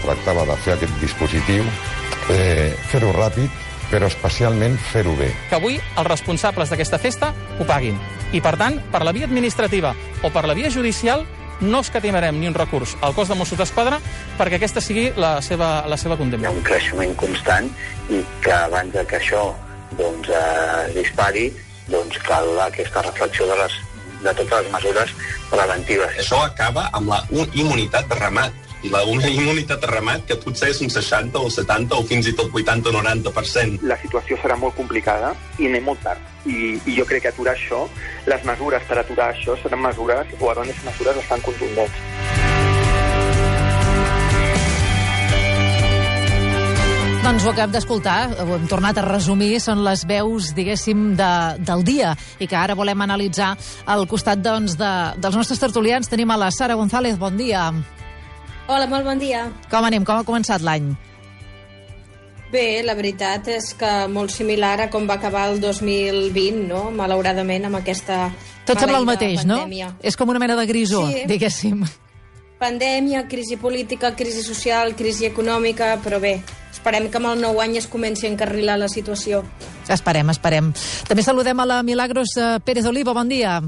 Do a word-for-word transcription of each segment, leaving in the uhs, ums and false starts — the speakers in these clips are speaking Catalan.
tractava de fer aquest dispositiu, eh, fer-ho ràpid, però especialment fer-ho bé. Que avui els responsables d'aquesta festa ho paguin. I, per tant, per la via administrativa o per la via judicial, no escatimarem ni un recurs al cos de Mossos d'Esquadra perquè aquesta sigui la seva, la seva condemna. Hi ha un creixement constant i que abans que això doncs, eh, es dispari, doncs cal aquesta reflexió de, les, de totes les mesures preventives. Això acaba amb la immunitat de ramat. I la una immunitat de ramat que potser és un seixanta o setanta o fins i tot vuitanta o noranta per cent. La situació serà molt complicada i anem molt tard. I, I jo crec que aturar això, les mesures per aturar això seran mesures, o hauran de ser mesures bastant contundents. Doncs ho acabem d'escoltar, ho hem tornat a resumir, són les veus, diguéssim, de, del dia, i que ara volem analitzar al costat doncs, de, dels nostres tertulians. Tenim a la Sara González, bon dia. Hola, molt bon dia. Com anem? Com ha començat l'any? Bé, la veritat és que molt similar a com va acabar el dos mil vint, no? Malauradament, amb aquesta Tot sembla el mateix, pandèmia. No? És com una mena de grisó, sí. Diguéssim. Pandèmia, crisi política, crisi social, crisi econòmica, però bé, esperem que amb el nou any es comenci a encarrilar la situació. Esperem, esperem. També saludem a la Milagros Pérez Oliva, bon dia.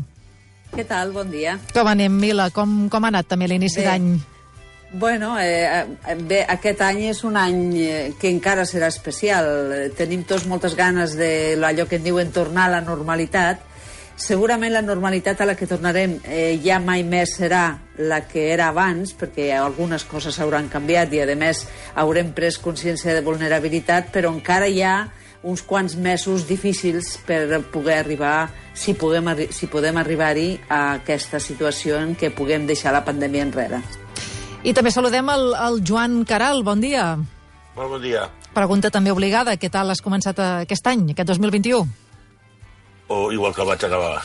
Què tal? Bon dia. Com anem, Mila? Com, com ha anat també l'inici d'any? Bueno, eh, bé, aquest any és un any que encara serà especial. Tenim tots moltes ganes de allò que en diuen tornar a la normalitat. Segurament la normalitat a la que tornarem eh, ja mai més serà la que era abans, perquè algunes coses hauran canviat i, a més, haurem pres consciència de vulnerabilitat, però encara hi ha uns quants mesos difícils per poder arribar, si podem, si podem arribar-hi, a aquesta situació en què puguem deixar la pandèmia enrere. I també saludem el, el Joan Caral, bon dia. Molt bon dia. Pregunta també obligada, què tal has començat aquest any, aquest dos mil vint-i-u? O igual que el vaig acabar.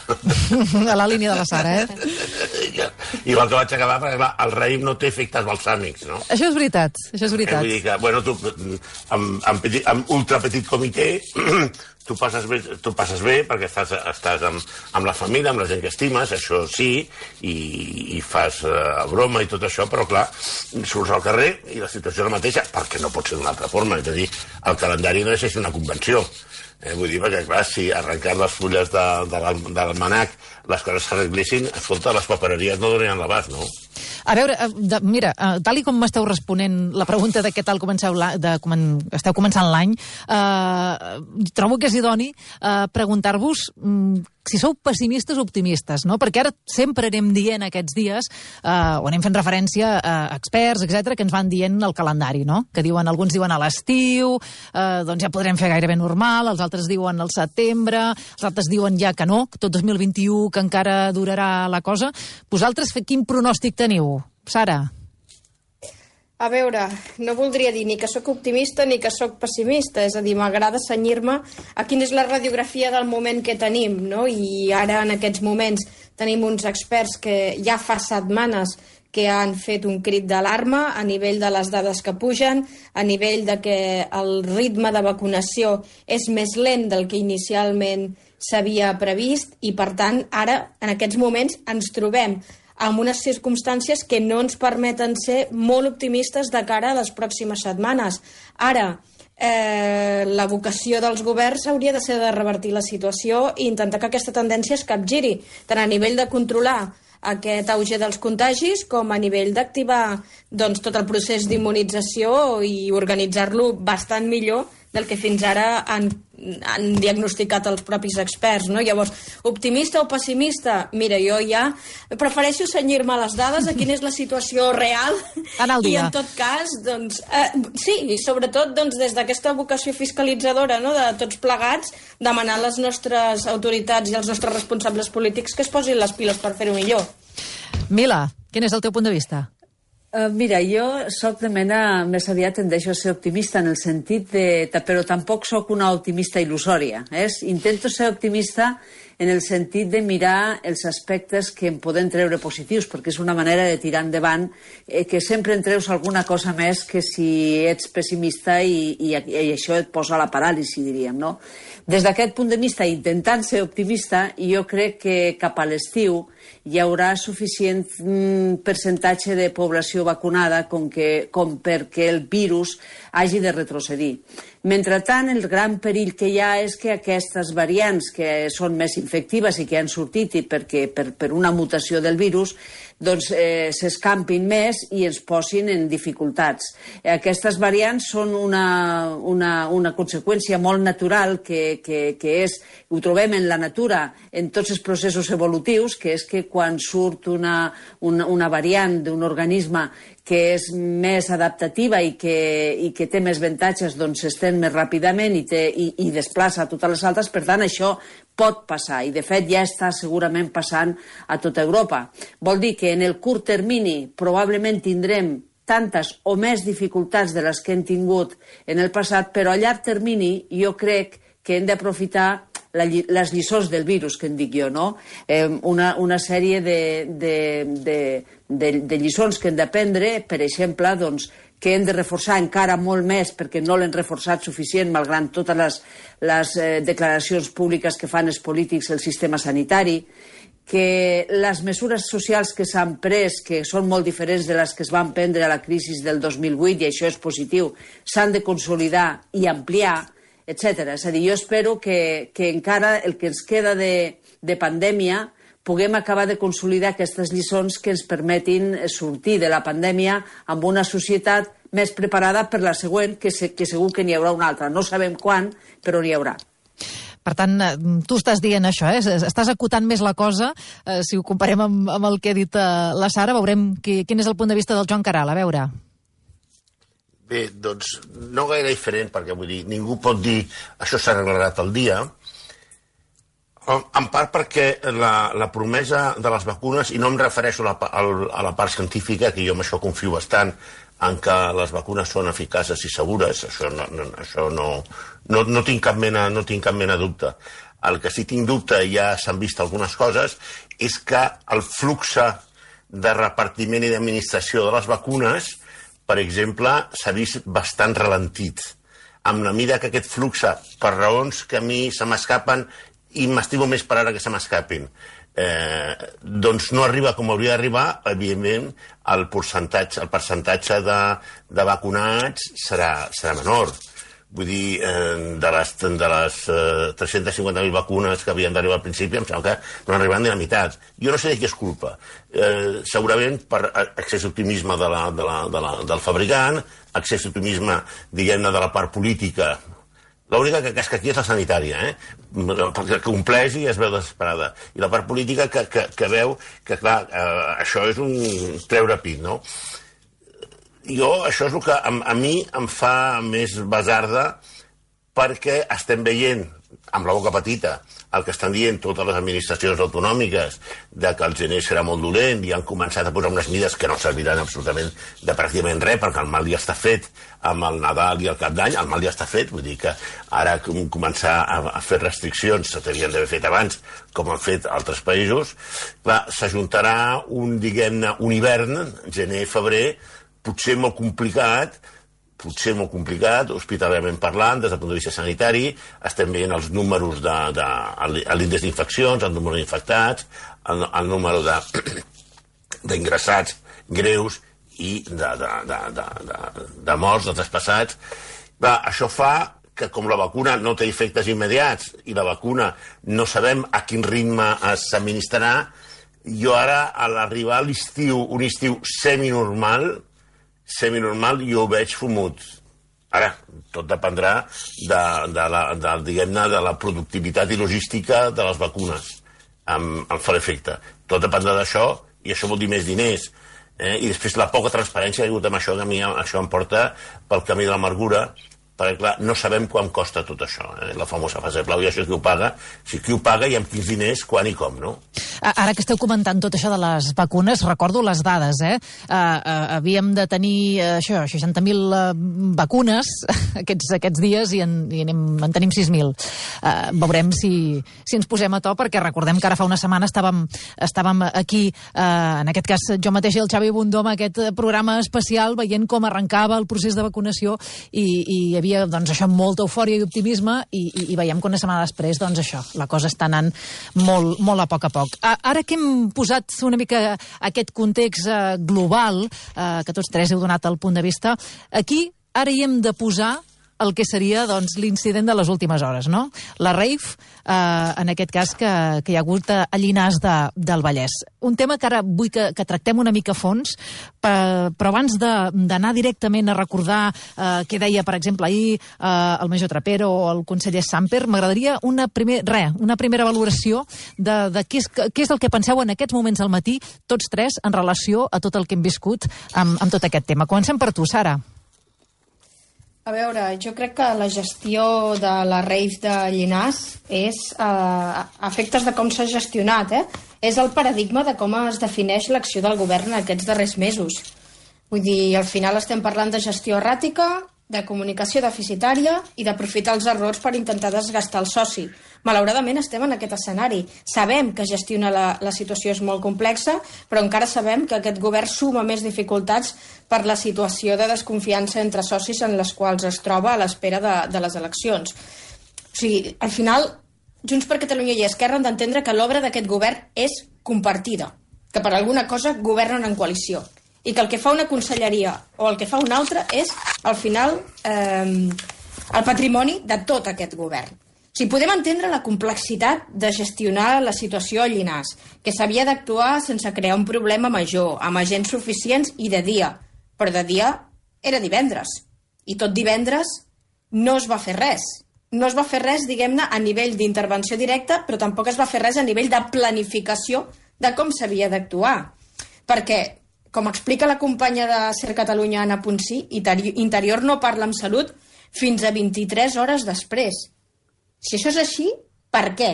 A la línia de la Sara, eh? Igual que vaig acabar, perquè clar, el raïm no té efectes balsàmics, no? Això és veritat, això és veritat. Eh, vull dir que, bueno, tu, amb, amb, petit, amb ultra petit comitè, tu passes bé, tu passes bé perquè estàs, estàs amb, amb la família, amb la gent que estimes, això sí, i, i fas uh, broma i tot això, però clar, surts al carrer i la situació és la mateixa, perquè no pot ser d'una altra forma, és a dir, el calendari no és així una convenció. Eh, vull dir, perquè, clar, si arrencar les fulles de, de l'almanac les coses s'arreglessin, escolta, les papereries no donarien l'abast, no? A veure, de, mira, tal i com m'esteu responent la pregunta de què tal comenceu de comen, esteu començant l'any, eh, trobo que és idoni eh, preguntar-vos mm, si sou pessimistes o optimistes, no? Perquè ara sempre anem dient aquests dies, eh, o anem fent referència a experts, etcètera, que ens van dient el calendari, no? Que diuen, alguns diuen a l'estiu, eh, doncs ja podrem fer gairebé normal, els altres diuen al setembre, els altres diuen ja que no, que tot dos mil vint-i-u, que encara durarà la cosa. Vosaltres, quin pronòstic teniu, Sara? A veure, no voldria dir ni que sóc optimista ni que sóc pessimista, és a dir, m'agrada cenyir-me a quina és la radiografia del moment que tenim, no? I ara, en aquests moments, tenim uns experts que ja fa setmanes que han fet un crit d'alarma a nivell de les dades que pugen, a nivell de que el ritme de vacunació és més lent del que inicialment s'havia previst i, per tant, ara, en aquests moments, ens trobem amb unes circumstàncies que no ens permeten ser molt optimistes de cara a les pròximes setmanes. Ara, eh, la vocació dels governs hauria de ser de revertir la situació i intentar que aquesta tendència es capgiri, tant a nivell de controlar aquest auge dels contagis com a nivell d'activar doncs, tot el procés d'immunització i organitzar-lo bastant millor del que fins ara han, han diagnosticat els propis experts, no? Llavors, optimista o pessimista? Mira, jo ja prefereixo cenyir-me a les dades, a quina és la situació real, i en tot cas, doncs, eh, sí, i sobretot doncs, des d'aquesta vocació fiscalitzadora, no?, de tots plegats, demanar a les nostres autoritats i als nostres responsables polítics que es posin les piles per fer-ho millor. Mila, quin és el teu punt de vista? Uh, mira, jo soc de mena, més aviat tendeixo a ser optimista en el sentit de... però tampoc sóc una optimista il·lusòria. Eh? Intento ser optimista en el sentit de mirar els aspectes que en podem treure positius, perquè és una manera de tirar endavant, eh, que sempre en treus alguna cosa més que si ets pessimista i, i, i això et posa a la paràlisi, diríem, no? Des d'aquest punt de vista, intentant ser optimista, jo crec que cap a l'estiu hi haurà suficient mm, percentatge de població vacunada com, que, com perquè el virus hagi de retrocedir. Mentrestant, el gran perill que hi ha és que aquestes variants que són més infectives i que han sortit i perquè, per, per una mutació del virus doncs eh, s'escampin més i ens posin en dificultats. Aquestes variants són una, una, una conseqüència molt natural que, que, que és, ho trobem en la natura, en tots els processos evolutius, que és que quan surt una, una, una variant d'un organisme que és més adaptativa i que, i que té més avantatges, doncs s'estén més ràpidament i, té, i, i desplaça totes les altres. Per tant, això pot passar i, de fet, ja està segurament passant a tota Europa. Vol dir que en el curt termini probablement tindrem tantes o més dificultats de les que hem tingut en el passat, però a llarg termini jo crec que hem d'aprofitar la, les lliçons del virus, que en dic jo, no? Eh, una, una sèrie de, de, de, de, de lliçons que hem d'aprendre, per exemple, doncs, que hem de reforçar encara molt més perquè no l'hem reforçat suficient, malgrat totes les, les eh, declaracions públiques que fan els polítics el sistema sanitari, que les mesures socials que s'han pres, que són molt diferents de les que es van prendre a la crisi del dos mil vuit, i això és positiu, s'han de consolidar i ampliar, etcètera. És a dir, jo espero que, que encara el que ens queda de, de pandèmia puguem acabar de consolidar aquestes lliçons que ens permetin sortir de la pandèmia amb una societat més preparada per la següent, que, se, que segur que n'hi haurà una altra. No sabem quan, però n'hi haurà. Per tant, tu estàs dient això, eh? Estàs acotant més la cosa. Eh, si ho comparem amb, amb el que ha dit eh, la Sara, veurem qui, quin és el punt de vista del Joan Caral. A veure... Bé, doncs no gaire diferent, perquè vull dir, ningú pot dir això s'ha arreglat al dia, en part perquè la, la promesa de les vacunes, i no em refereixo a la, a la part científica, que jo amb això confio bastant, en què les vacunes són eficaces i segures, això no, no, això no, no, no, tinc cap mena, no tinc cap mena de dubte. El que sí tinc dubte, i ja s'han vist algunes coses, és que el flux de repartiment i d'administració de les vacunes, per exemple, s'ha vist bastant ralentit. Amb la mida que aquest flux, per raons que a mi se m'escapen i m'estimo més per ara que se m'escapin, eh, doncs no arriba com hauria d'arribar, evidentment, el percentatge, el percentatge de, de vacunats serà, serà menor. Vull dir, eh, de les, de les eh, tres-centes cinquanta mil vacunes que havien d'arribar al principi, em sembla que no han arribat ni a la meitat. Jo no sé de qui és culpa. Eh, segurament per excés d'optimisme de la, de la, de la, del fabricant, excés d'optimisme, diguem-ne, de la part política. L'única que, que és que aquí és la sanitària, eh? Perquè compleix i es veu desesperada. I la part política que, que, que veu que, clar, eh, això és un treure pit, no? Jo, això és el que a, a mi em fa més basarda, perquè estem veient, amb la boca petita, el que estan dient totes les administracions autonòmiques, de que el gener serà molt dolent i han començat a posar unes mides que no serviran absolutament de pràcticament res, perquè el mal ja està fet amb el Nadal i el Cap d'Any, el mal ja està fet, vull dir que ara començar a, a fer restriccions s'havien d'haver fet abans, com han fet altres països, s'ajuntarà un, diguem-ne, un hivern, gener, febrer, potser molt complicat, potser molt complicat, hospitalàriament parlant, des del punt de vista sanitari, estem veient els números de, de, l'índex d'infeccions, el número d'infectats, el, el número d'ingressats greus i de, de, de, de, de, de morts, de traspassats. Va, això fa que, com la vacuna no té efectes immediats i la vacuna no sabem a quin ritme s'administrarà, jo ara, a l'arribar a l'estiu, un estiu seminormal, seminormal, jo ho veig fumut. Ara, tot dependrà de, de, la, de, diguem-ne, de la productivitat i logística de les vacunes, amb, amb fer efecte. Tot dependrà d'això, i això vol dir més diners. Eh? I després la poca transparència que ha hagut amb això, que a mi això em porta pel camí de l'amargura, perquè, clar, no sabem quan costa tot això, eh? La famosa fase de plau, i això qui ho paga, si qui ho paga i amb quins diners, quan i com, no? Ara que esteu comentant tot això de les vacunes, recordo les dades, eh? Uh, uh, havíem de tenir uh, això, seixanta mil uh, vacunes aquests, aquests dies i en, i anem, en tenim sis mil. Uh, veurem si, si ens posem a to, perquè recordem que ara fa una setmana estàvem, estàvem aquí, uh, en aquest cas jo mateix i el Xavi Bundó, amb aquest programa especial, veient com arrencava el procés de vacunació i, i hi havia doncs, això, molta eufòria i optimisme i, i, i veiem que una setmana després, doncs això, la cosa està anant molt, molt a poc a poc. Ara que hem posat una mica aquest context eh, global, eh, que tots tres heu donat el punt de vista, aquí ara hi hem de posar el que seria doncs, l'incident de les últimes hores, no? La rave, eh, en aquest cas, que, que hi ha hagut a Llinars de, del Vallès. Un tema que ara vull que, que tractem una mica a fons, per, però abans d'anar directament a recordar eh, què deia, per exemple, ahir eh, el major Trapero o el conseller Samper, m'agradaria una, primer, re, una primera valoració de, de què, és, què és el que penseu en aquests moments al matí, tots tres, en relació a tot el que hem viscut amb, amb tot aquest tema. Comencem per tu, Sara. A veure, jo crec que la gestió de la rave de Llinars és eh, a efectes de com s'ha gestionat, eh? És el paradigma de com es defineix l'acció del govern en aquests darrers mesos. Vull dir, al final estem parlant de gestió erràtica, de comunicació deficitària i d'aprofitar els errors per intentar desgastar el soci. Malauradament estem en aquest escenari. Sabem que gestionar la, la situació és molt complexa, però encara sabem que aquest govern suma més dificultats per la situació de desconfiança entre socis en les quals es troba a l'espera de, de les eleccions. O sigui, al final, Junts per Catalunya i Esquerra han d'entendre que l'obra d'aquest govern és compartida, que per alguna cosa governen en coalició, i que el que fa una conselleria o el que fa una altra és, al final, eh, el patrimoni de tot aquest govern. O sigui, podem entendre la complexitat de gestionar la situació a Llinars, que s'havia d'actuar sense crear un problema major, amb agents suficients i de dia. Però de dia era divendres. I tot divendres no es va fer res. No es va fer res, diguem-ne, a nivell d'intervenció directa, però tampoc es va fer res a nivell de planificació de com s'havia d'actuar. Perquè, com explica la companya de Ser Catalunya, Anna Ponsí, Interior no parla amb Salut fins a vint-i-tres hores després. Si això és així, per què?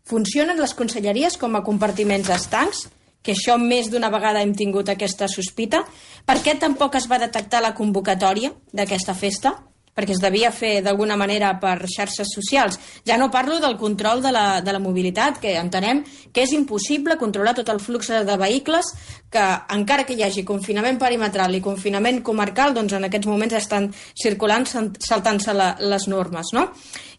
Funcionen les conselleries com a compartiments estancs? Que això més d'una vegada hem tingut aquesta sospita? Per què tampoc es va detectar la convocatòria d'aquesta festa? Perquè es devia fer d'alguna manera per xarxes socials. Ja no parlo del control de la, de la mobilitat, que entenem que és impossible controlar tot el flux de vehicles, que encara que hi hagi confinament perimetral i confinament comarcal, doncs en aquests moments estan circulant saltant-se la, les normes, no?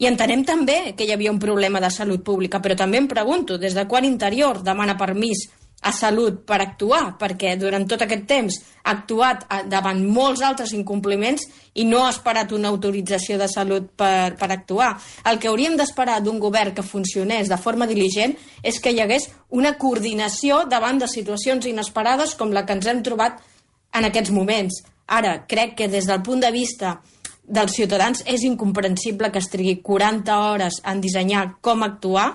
I entenem també que hi havia un problema de salut pública, però també em pregunto, des de quan Interior demana permís a Salut per actuar, perquè durant tot aquest temps ha actuat davant molts altres incompliments i no ha esperat una autorització de Salut per, per actuar. El que hauríem d'esperar d'un govern que funcionés de forma diligent és que hi hagués una coordinació davant de situacions inesperades com la que ens hem trobat en aquests moments. Ara, crec que des del punt de vista dels ciutadans és incomprensible que es trigui quaranta hores en dissenyar com actuar,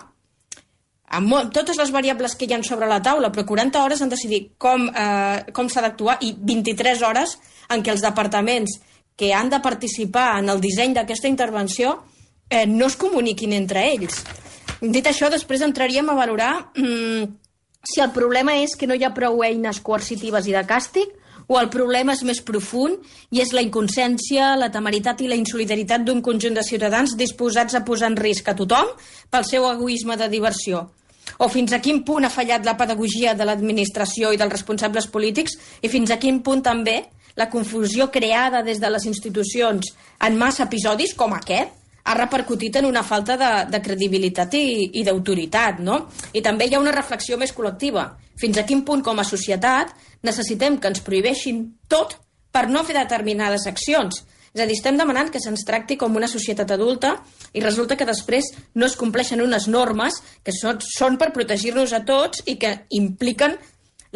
amb molt, totes les variables que hi ha sobre la taula, però quaranta hores en decidir com, eh, com s'ha d'actuar i vint-i-tres hores en què els departaments que han de participar en el disseny d'aquesta intervenció eh, no es comuniquin entre ells. Dit això, després entraríem a valorar mm, si el problema és que no hi ha prou eines coercitives i de càstig o el problema és més profund i és la inconsciència, la temeritat i la insolidaritat d'un conjunt de ciutadans disposats a posar en risc a tothom pel seu egoisme de diversió. O fins a quin punt ha fallat la pedagogia de l'administració i dels responsables polítics i fins a quin punt també la confusió creada des de les institucions en massa episodis com aquest ha repercutit en una falta de, de credibilitat i, i d'autoritat, no? I també hi ha una reflexió més col·lectiva. Fins a quin punt, com a societat, necessitem que ens prohibeixin tot per no fer determinades accions? És a dir, estem demanant que se'ns tracti com una societat adulta i resulta que després no es compleixen unes normes que són, són per protegir-nos a tots i que impliquen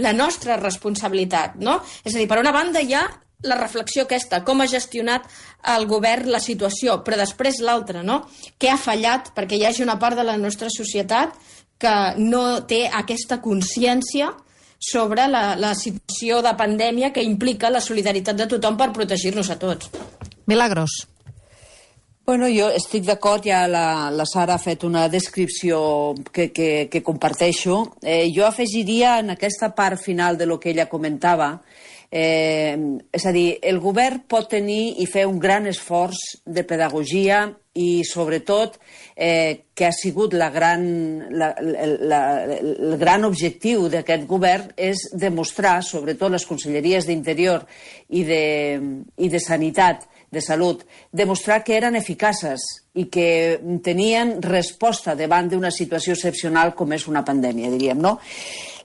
la nostra responsabilitat, no? És a dir, per una banda hi ha la reflexió aquesta, com ha gestionat el govern la situació, però després l'altra, no? Què ha fallat perquè hi hagi una part de la nostra societat que no té aquesta consciència sobre la, la situació de pandèmia que implica la solidaritat de tothom per protegir-nos a tots. Milagros. Bueno, jo estic d'acord, ja la, la Sara ha fet una descripció que, que, que comparteixo. Eh, jo afegiria en aquesta part final de lo que ella comentava, eh, és a dir, el govern pot tenir i fer un gran esforç de pedagogia i, sobretot, eh, que ha sigut la gran, la, la, el gran objectiu d'aquest govern és demostrar, sobretot les conselleries d'Interior i de, i de Sanitat, de Salut, demostrar que eren eficaces i que tenien resposta davant d'una situació excepcional com és una pandèmia, diríem, no?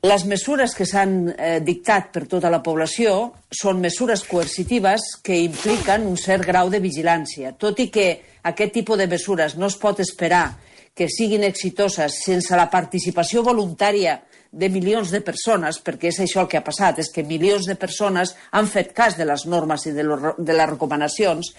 Les mesures que s'han eh, dictat per tota la població són mesures coercitives que impliquen un cert grau de vigilància, tot i que aquest tipus de mesures no es pot esperar que siguin exitoses sense la participació voluntària de milions de persones, perquè és això el que ha passat, és que milions de persones han fet cas de les normes i de, lo, de les recomanacions.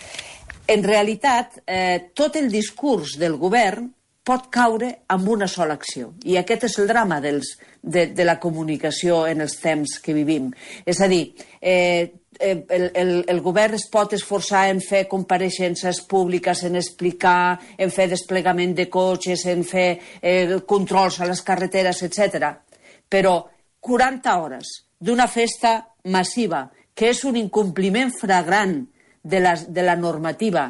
En realitat, eh, tot el discurs del govern pot caure amb una sola acció. I aquest és el drama dels, de, de la comunicació en els temps que vivim. És a dir, eh, el, el, el govern es pot esforçar en fer compareixences públiques, en explicar, en fer desplegament de cotxes, en fer eh, controls a les carreteres, etcètera. Però quaranta hores d'una festa massiva, que és un incompliment flagrant de la, de la normativa,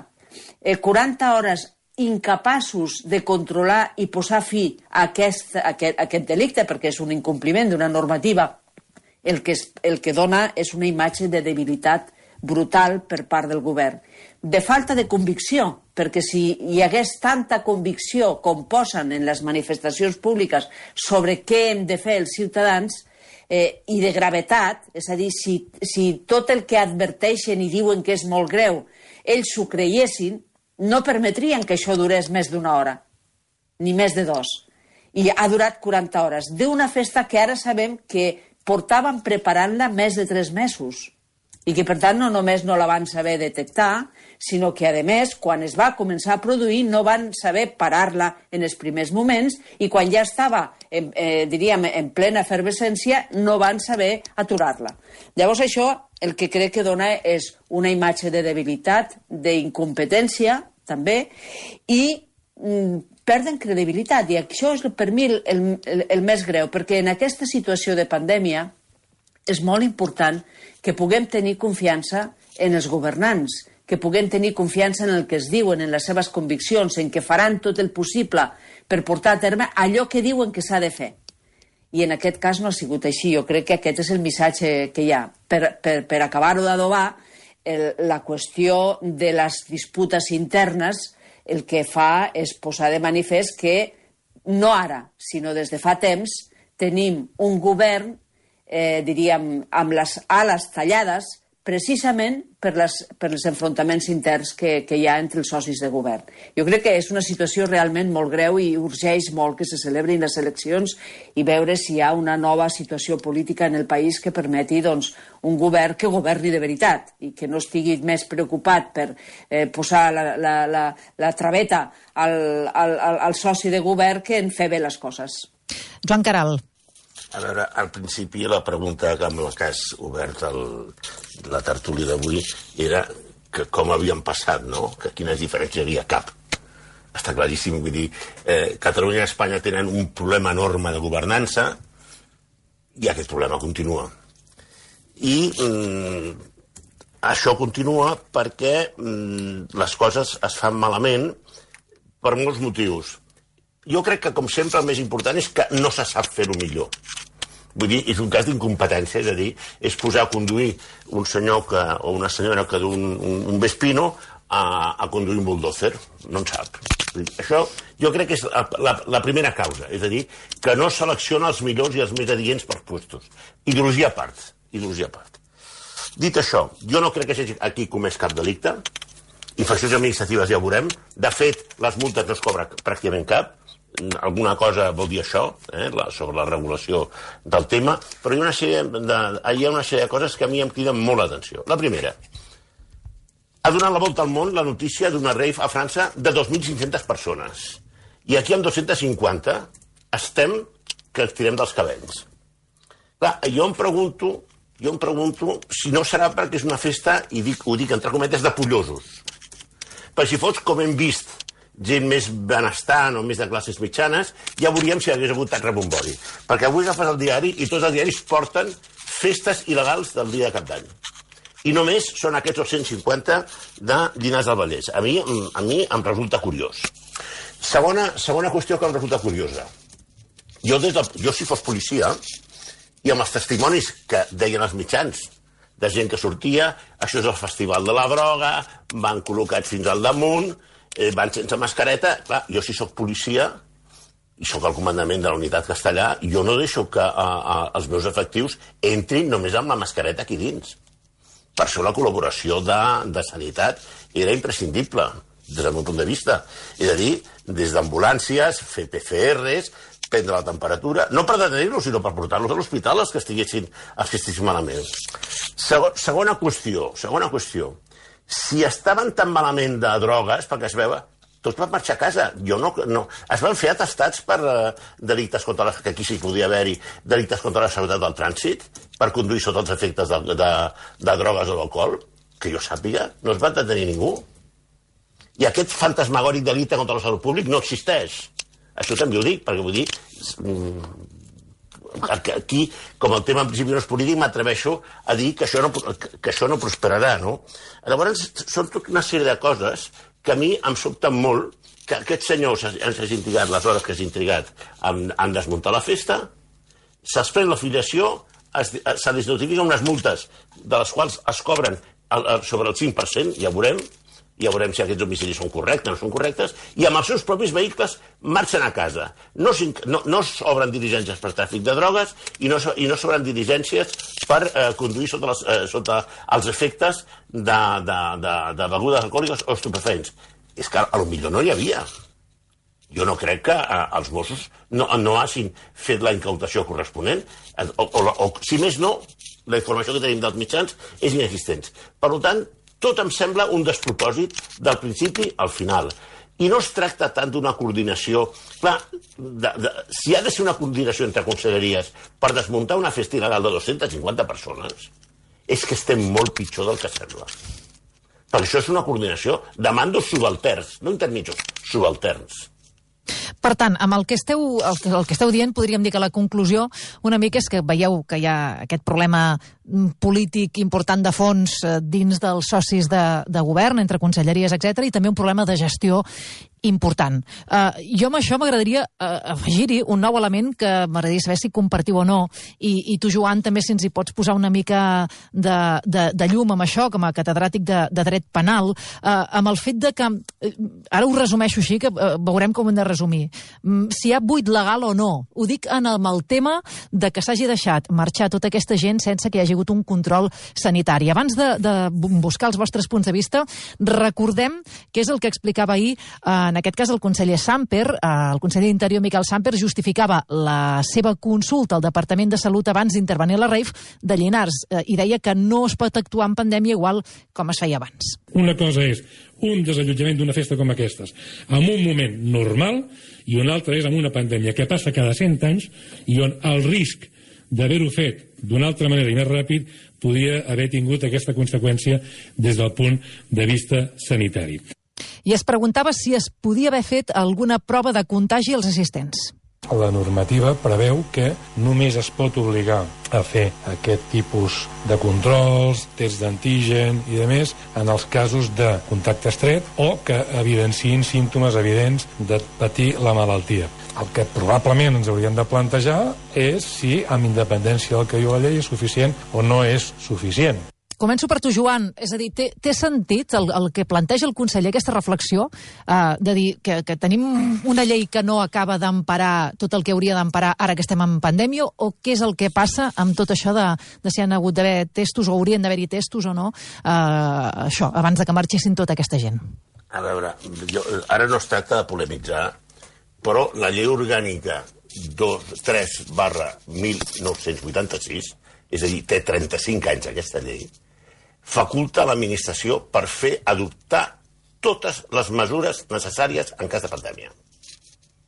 eh, quaranta hores incapaços de controlar i posar fi a aquest, a aquest, a aquest delicte, perquè és un incompliment d'una normativa, el que, es, el que dona és una imatge de debilitat brutal per part del govern. De falta de convicció, perquè si hi hagués tanta convicció com posen en les manifestacions públiques sobre què hem de fer els ciutadans, eh, i de gravetat, és a dir, si, si tot el que adverteixen i diuen que és molt greu, ells s'ho creiessin, no permetrien que això durés més d'una hora, ni més de dos. I ha durat quaranta hores, d'una festa que ara sabem que portaven preparant-la més de tres mesos. I que, per tant, no només no la van saber detectar, sinó que, a més, quan es va començar a produir, no van saber parar-la en els primers moments i quan ja estava, en, eh, diríem, en plena efervescència, no van saber aturar-la. Llavors, això el que crec que dona és una imatge de debilitat, d'incompetència, també, i mm, perden credibilitat. I això és, per mi, el, el, el més greu, perquè en aquesta situació de pandèmia és molt important que puguem tenir confiança en els governants, que puguem tenir confiança en el que es diuen, en les seves conviccions, en que faran tot el possible per portar a terme allò que diuen que s'ha de fer. I en aquest cas no ha sigut així. Jo crec que aquest és el missatge que hi ha. Per, per, per acabar-ho d'adobar, la qüestió de les disputes internes el que fa és posar de manifest que no ara, sinó des de fa temps, tenim un govern Eh, diríem, amb les ales tallades, precisament per, les, per els enfrontaments interns que, que hi ha entre els socis de govern. Jo crec que és una situació realment molt greu i urgeix molt que se celebrin les eleccions i veure si hi ha una nova situació política en el país que permeti, doncs, un govern que governi de veritat i que no estigui més preocupat per eh, posar la, la, la, la traveta al, al, al, al soci de govern que en fer bé les coses. Joan Caral. A veure, al principi la pregunta amb la que has obert el, la tertúlia d'avui era que com havien passat, no? Que quines diferències hi havia? Cap. Està claríssim, vull dir, eh, Catalunya i Espanya tenen un problema enorme de governança i aquest problema continua. I mm, això continua perquè mm, les coses es fan malament per molts motius. Jo crec que, com sempre, el més important és que no se sap fer-ho millor. Vull dir, és un cas d'incompetència, és a dir, és posar a conduir un senyor que, o una senyora que du un, un, un Vespino a, a conduir un bulldozer. No en sap. Això jo crec que és la, la, la primera causa, és a dir, que no selecciona els millors i els més adients per puestos. Ideologia a part. Ideologia a part. Dit això, jo no crec que s'hagi aquí comès cap delicte. Infraccions administratives ja ho veurem. De fet, les multes no es cobra pràcticament cap. Alguna cosa vol dir això, eh, la, sobre la regulació del tema, però hi ha, una sèrie de, hi ha una sèrie de coses que a mi em criden molt l'atenció. La primera, ha donat la volta al món la notícia d'una rave a França de dos mil cinc-centes persones. I aquí amb dos-centes cinquanta estem que ens tirem dels cabells. Clar, jo em pregunto, jo em pregunto si no serà perquè és una festa, i dic, ho dic entre cometes, de pollosos. però si fos com hem vist, gent més benestant o més de classes mitjanes, ja veuríem si hagués hagut tant rebombori. Perquè avui agafes el diari i tots els diaris porten festes il·legals del dia de Cap d'Any. I només són aquests dos-cents cinquanta de Llinars del Vallès. A mi, a mi em resulta curiós. Segona, segona qüestió que em resulta curiosa. Jo, des de, jo si fos policia, i amb els testimonis que deien els mitjans, de gent que sortia, això és el festival de la droga, van col·locats fins al damunt, eh, van sense mascareta. Clar, jo si sóc policia, i sóc el comandament de la unitat castellà, jo no deixo que a, a, els meus efectius entrin només amb la mascareta aquí dins. Per això la col·laboració de, de sanitat era imprescindible, des del meu punt de vista. És a dir, des d'ambulàncies, fer P C Rs, prendre la temperatura, no per detenir-los, sinó per portar-los a l'hospital els que estiguessin, els que estiguessin malament. Segon, segona qüestió, segona qüestió. Si estaven tan malament de drogues, perquè es veua, tots van marxar a casa. Jo no, no. Es van fer atestats per uh, delictes contra la... que aquí sí podia haver-hi, delictes contra la seguretat del trànsit, per conduir sota els efectes de, de, de drogues o d'alcohol, que jo sàpiga, no es va detenir ningú. I aquest fantasmagòric delicte contra la salut pública no existeix. Això també ho dic, perquè vull dir, aquí, com el tema en principi no és polític, m'atreveixo a dir que això no, que això no prosperarà, no? Llavors, són tota una sèrie de coses que a mi em sobten molt que aquests senyors ens hagin trigat les hores que hagin trigat en, en desmuntar la festa, se'ls pren l'afiliació, se les notifiquen unes multes de les quals es cobren sobre el cinc per cent, ja veurem, ja veurem si aquests domicilis són correctes o no són correctes, i amb els seus propis vehicles marxen a casa. No, no, no s'obren diligències per tràfic de drogues i no, i no s'obren diligències per eh, conduir sota, les, eh, sota els efectes de, de, de, de begudes alcohòliques o estupefents. És que a lo millor no hi havia. Jo no crec que eh, els Mossos no, no hagin fet la incautació corresponent, o, o, o si més no, la informació que tenim dels mitjans és inexistent. Per tant, tot em sembla un despropòsit del principi al final. I no es tracta tant d'una coordinació... Clar, de, de, si ha de ser una coordinació entre conselleries per desmuntar una festa il·legal de dues-centes cinquanta persones, és que estem molt pitjor del que sembla. Perquè això és una coordinació de mandos subalterns, no intermitjos, subalterns. Per tant, amb el que, esteu, el, que, el que esteu dient, podríem dir que la conclusió una mica és que veieu que hi ha aquest problema polític important de fons dins dels socis de, de govern, entre conselleries, etcètera, i també un problema de gestió important. Uh, jo amb això m'agradaria uh, afegir-hi un nou element que m'agradaria saber si compartiu o no, i, i tu, Joan, també si ens hi pots posar una mica de, de, de llum amb això, com a catedràtic de, de dret penal, uh, amb el fet de que, uh, ara ho resumeixo així, que uh, veurem com ho hem de resumir, um, si hi ha buit legal o no. Ho dic en el, el tema de que s'hagi deixat marxar tota aquesta gent sense que hi hagi hagut un control sanitari. Abans de, de buscar els vostres punts de vista, recordem què és el que explicava ahir uh, en aquest cas el conseller Samper, el conseller d'Interior Miquel Samper, justificava la seva consulta al Departament de Salut abans d'intervenir a la rave de Llinars i deia que no es pot actuar en pandèmia igual com es feia abans. Una cosa és un desallotjament d'una festa com aquestes en un moment normal i una altra és en una pandèmia que passa cada cent anys i on el risc d'haver-ho fet d'una altra manera i més ràpid podia haver tingut aquesta conseqüència des del punt de vista sanitari. I es preguntava si es podia haver fet alguna prova de contagi als assistents. La normativa preveu que només es pot obligar a fer aquest tipus de controls, tests d'antigen i de més en els casos de contacte estret o que evidenciïn símptomes evidents de patir la malaltia. El que probablement ens hauríem de plantejar és si, amb independència del que diu la llei, és suficient o no és suficient. Començo per tu, Joan. És a dir, té, té sentit el, el que planteja el conseller, aquesta reflexió, eh, de dir que, que tenim una llei que no acaba d'emparar tot el que hauria d'emparar ara que estem en pandèmia, o què és el que passa amb tot això de, de si han hagut d'haver testos o haurien d'haver-hi testos o no, eh, això, abans de que marxessin tota aquesta gent? A veure, jo, ara no es tracta de polemitzar, però la llei orgànica tres barra mil nou-cents vuitanta-sis, és a dir, té trenta-cinc anys aquesta llei, faculta a l'administració per fer adoptar totes les mesures necessàries en cas de pandèmia.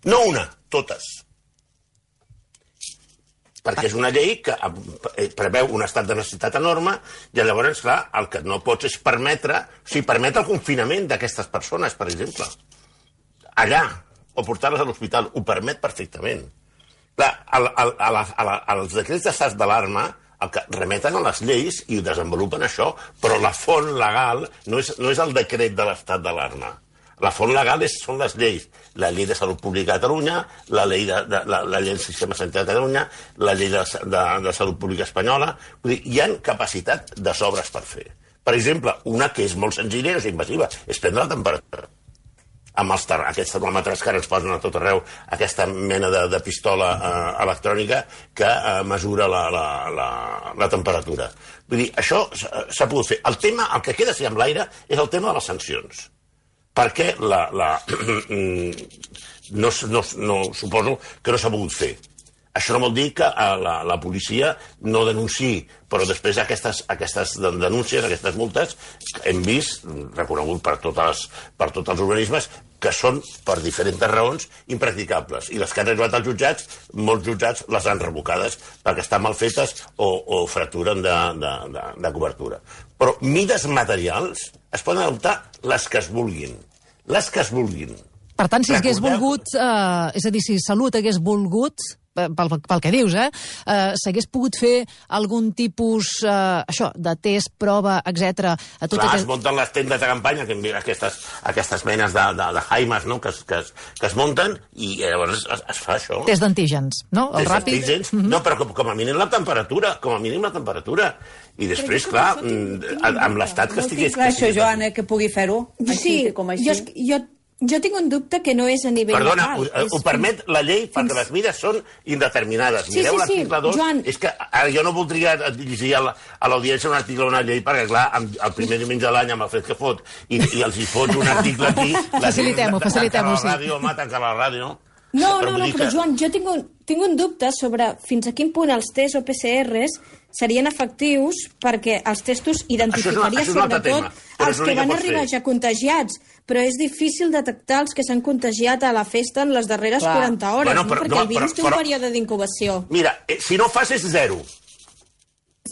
No una, totes. perquè és una llei que preveu un estat de necessitat enorme i llavors, clar, el que no pots és permetre, o sigui, permetre el confinament d'aquestes persones, per exemple. Allà, o portar-les a l'hospital, ho permet perfectament. Clar, el, el, a la, a la, als decrets d'estat d'alarma el que remeten a les lleis i ho desenvolupen això, però la font legal no és, no és el decret de l'estat d'alarma. La font legal és, són les lleis. La llei de salut pública a Catalunya, la llei, de, de, la, la llei del sistema sanitari de Catalunya, la llei de, de, de salut pública espanyola. Vull dir, hi ha capacitat de sobres per fer. Per exemple, una que és molt senzilla i és invasiva, és prendre la temperatura. Amb els ter aquests termòmetres que ara ens posen a tot arreu, aquesta mena de, de pistola eh, electrònica que eh, mesura la, la, la, la temperatura. Vull dir, això s'ha pogut fer. El tema, el que queda així amb l'aire, és el tema de les sancions. Perquè la, la, no, no, no, suposo que no s'ha pogut fer. Això no vol dir que la, la policia no denunciï, però després aquestes, aquestes denúncies, aquestes multes, hem vist, reconegut per, totes, per tots els organismes, que són, per diferents raons, impracticables. I les que han arribat als jutjats, molts jutjats les han revocades perquè estan mal fetes o, o fracturen de, de, de, de cobertura. Però mides materials es poden adoptar les que es vulguin. Les que es vulguin. Per tant, si hagués volgut, eh, és a dir, si Salut hagués volgut, pel, pel que dius, eh, eh s'hagués pogut fer algun tipus, eh, això, de test, prova, etcètera. A tot Clar, aquest... es munten les tendes de campanya, que aquestes, aquestes menes de, de, de jaimes, no?, que, es, que, es, que es munten, i llavors es, es fa això. Test d'antígens, no? El Test ràpid. d'antígens, mm -hmm. No, però com, com a mínim la temperatura, com a mínim la temperatura. I després, clar, amb l'estat que estigués... Clar, això, Joan, eh, que pugui fer-ho, sí, així com així. Jo, jo Jo tinc un dubte que no és a nivell Perdona, legal. Perdona, ho, ho permet la llei perquè les mides són indeterminades. Sí, Mireu sí, l'article sí, dos. Joan. És que ara jo no voldria llegir a l'audiència un article d'una llei perquè, clar, el primer diumenge de l'any amb el fred que fot i, i els hi fots un article aquí... Facilitem-ho, facilitem-ho, sí. Tanca la ràdio, home, tanca la ràdio. No, no, no, però Joan, jo tinc un, tinc un dubte sobre fins a quin punt els tests o P C Rs serien efectius perquè els testos identificaria sobretot els que van arribar ja contagiats, però és difícil detectar els que s'han contagiat a la festa en les darreres Clar. quaranta hores, bueno, no? però, perquè no, el virus però, té un però, període d'incubació. Mira, eh, si no fas és zero.